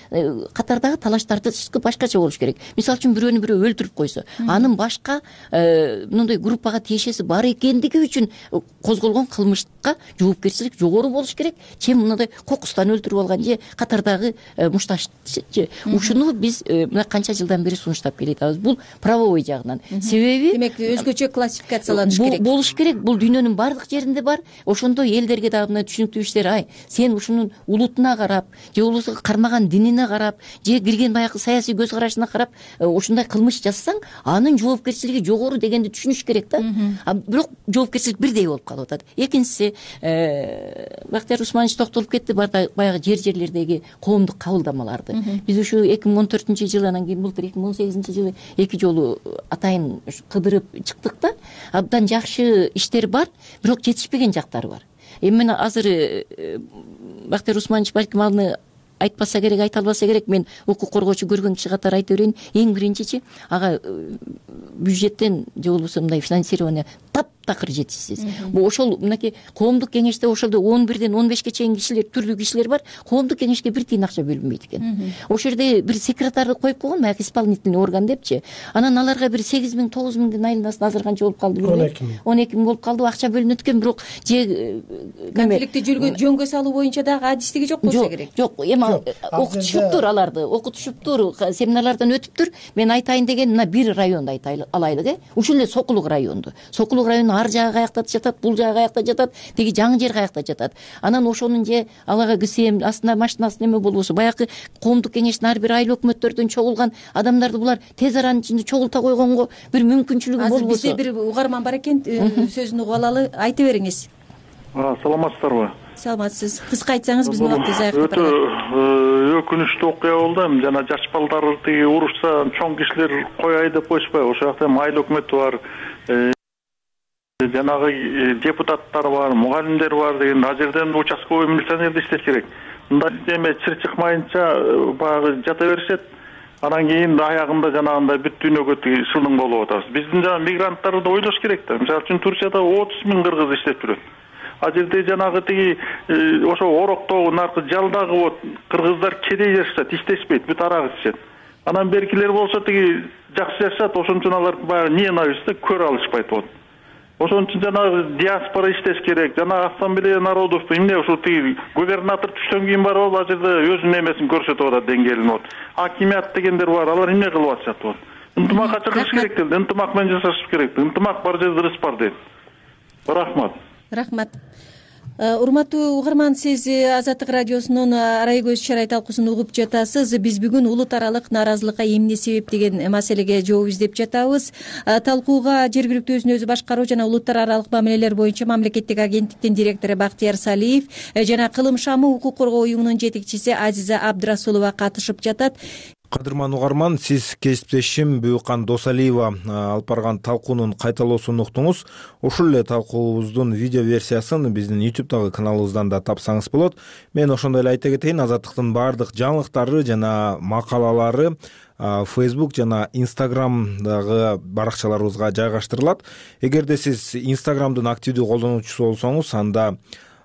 катардагы талаштарды башкача болуш керек. Мисалы үчүн бирөөнү бирөө өлтүрүп койсо, анын башка мындай группага тиешеси бар экендиги үчүн козголгон кылмышка жоопкерчилик жогору болуш керек. Чем мындай кокустан өлтүрүп алган же катардагы мушташ же. Ушуну биз мына канча жылдан бери сунуштап келатабыз. Бул правовой жагынан. Себеби демек өзгөчө классификацияланыш керек. Болуш керек. Бул дүйнөнүн бардык жеринде бар. Ошондой элдерге дагы мына түшүнүктүү иштер, сен ушунун улутуна карап, же улусуга кармаган динине карап, же кирген баягы саясий көз карашына карап ушундай кылмыш жасасаң, анын жоопкерчилиги жогору дегенди түшүнүш керек да. Бирок жоопкерчилик бирдей болуп калып атат. Экинчиси, Бактияр Усманович токтолуп кетти, баягы жерлердеги коомдук кабылдамаларды. Биз ушу 2014-жылы, анан кийин былтыр 2018-жылы 2 жолу атайын кыдырып чыктык да. Абдан жакшы иштер бар, бирок жетишпеген жактары бар. Эми азыр Бактияр Усманович балким аны айтпаса керек, айта албаса керек. Мен укук коргоочу көргөн киши катары айта берейин. Эң биринчичи, ага бюджеттен же болбосо мындай финансирование таптакыр жетишсиз. Бул ошол мынакей коомдук кеңеште ошолдо 11-ден 15-ке чейин кишилер, түрлүү кишилер бар. Коомдук кеңешке бир тиын акча бөлүнбөйт экен. Ошол жерде бир секретарды коюп койгон, баягы исполнительный орган депчи. Анан аларга бир 8 миң, 9 миңдин айланасын азыр канча болуп калды билбейм. 12 миң болуп калды, акча бөлүнөт экен, бирок же конфликтти жөнгө салуу боюнча дагы адистиги жок болсо керек. Жок, эми окутушуптур аларды, окутушуптур, семинарлардан өтүптүр. Мен айтайын деген мына бир районду айта алайлык, ушул эле Сокулук районду. Сокулук районунун ар жагы каякта жатат, бул жагы каякта жатат, теги жаңы жер каякта жатат. Анан ошонун же алага кисем астына машинасы неме болбосо, баягы коомдук кеңештин ар бир айыл өкмөттөрдөн чогулган адамдарды булар тез аранын ичинде чогулта койгонго бир мүмкүнчүлүгү болбосо. Бизде бир угарман бар экен, сөзүн угуп алалы, айта бериңиз. Саламатсыздарбы? Саламатсыз. Кыска айтсаңыз биздин убактыбыз аягына барат. Өтө өкүнүчтүү окуя болду. Жана жаш балдар тиги урушса, чоң кишилер кой айдап коюшпайбы? Ошол жакта айыл өкмөтү бар. Жанагы депутаттар бар, мугалимдер бар деген, ал жерден участковый милиционерди иштеш керек. Мындай эме чыр чыкмайынча баягы жата беришет. Анан кийин аягында жанагындай бүт дүйнөгө шылдың болуп атабыз. Биздин жана мигранттарды ойлош керек да. Мисалы үчүн Турцияда 30 миң кыргыз иштеп жүрөт. А жерде жанагы тиги ошо ороктогу наркы жалдагы вот кыргыздар кедей жашашат, иштешпейт, бүт арак ичишет. Анан беркилер болсо тиги жакшы жашашат, ошон үчүн алар баягы ненавистти көрө алышпайт болот. Ошон үчүн жанагы диаспора иштеш керек. Жана ассамблея народов эмне ушул тиги губернатор түштөн кийин барып ал жерде өзүнүн эмесин көрсөтүп атат, деңгээлин вот. Акимият дегендер бар, алар эмне кылып атышат вот. Ынтымакка чыгыш керек делди, ынтымак менен жашаш керек. Ынтымак бар жерде ырыс бар дейт. Рахмат. Рахмат. Урматтуу угарман, сиз Азаттык радиосунун арай көз чарай талкуусун угуп жатасыз. Биз бүгүн улут аралык нааразылыкка эмне себеп деген маселеге жооп издеп жатабыз. Талкууга жергиликтүү өзүн өзү башкаруу жана улуттар аралык мамилелер боюнча мамлекеттик агенттиктин директору Бактияр Салиев жана Кылым шамы укук коргоо уюмунун жетекчиси Азиза Абдрасулова катышып жатат. Кадырман угарман, сиз кесиптешим Бүйүкан Досалиева алып барган талкуунун кайталоосун уктуңуз. Ушул эле талкуубуздун видео версиясын биздин YouTube'дагы каналыбыздан да тапсаңыз болот. Мен ошондой эле айта кетейин, Азаттыктын баардык жаңылыктары жана макалалары Facebook жана Instagram'дагы баракчаларыбызга жайгаштырылат. Эгерде сиз Instagram'дын активдүү колдонуучусу болсоңуз, анда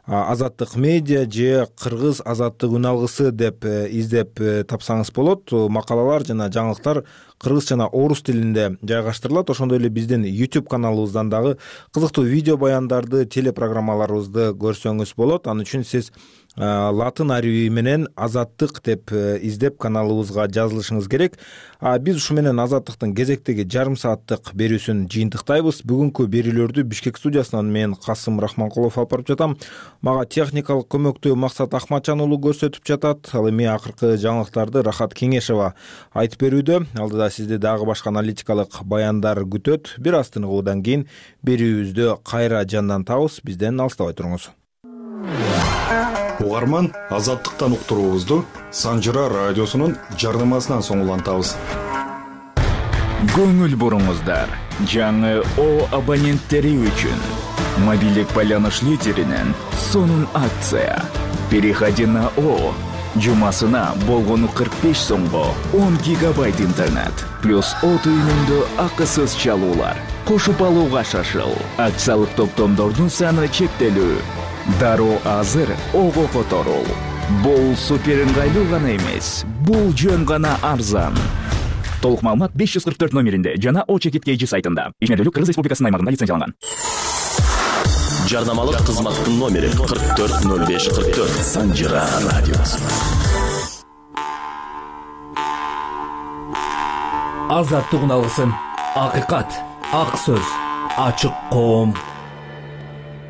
Азаттык медиа же Кыргыз азаттык үн алгысы деп издеп тапсаңыз болот. Макалалар жана жаңылыктар кыргыз жана орус тилинде жайгаштырылат. Ошондой эле биздин YouTube каналыбыздан дагы кызыктуу видео баяндарды, телепрограммаларыбызды көрсөңүз болот. Ал үчүн сиз латын арабы менен Азаттык деп издеп каналыбызга жазылышыңыз керек. Биз ушу менен Азаттыктын кезектеги жарым сааттык берүүсүн жыйынтыктайбыз. Бүгүнкү берүүлөрдү Бишкек студиясынан мен Касым Рахманкулов алып барып жатам. Мага техникалык көмөктү Максат Ахматжан уулу көрсөтүп жатат. Ал эми акыркы жаңылыктарды Рахат Кеңешева айтып берүүдө. Алдыда сизди дагы башка аналитикалык баяндар күтөт. Бир аз тыныгуудан кийин берүүбүздү кайра жандан табыз. Бизден алыстабай туруңуз. Угарман, Азаттыктан уктуруубузду Санжыра радиосунун жарнамасынан соң улантабыз. Көңүл буруңуздар. Жаңы О абоненттери үчүн мобилдик байланыш лидеринен сонун акция. Переходи на О. Жумасына болгону 45 сомго 10 гигабайт интернет плюс О түйүнүндө акысыз чалуулар. Кошуп алууга шашыл. Акциялык топтомдордун саны чектелүү. Дароо азыр Ого которул. Бул супер ыңгайлуу гана эмес, бул жөн гана арзан. Толук маалымат 544 номеринде жана О-чекит сайтында. Ишмердүүлүк Кыргыз Республикасынын аймагында лицензияланган. Жарнамалык кызматтын номери 440544. Санжыра радиосу. Азаттык уналгысын. Акыйкат, ак сөз, ачык коом.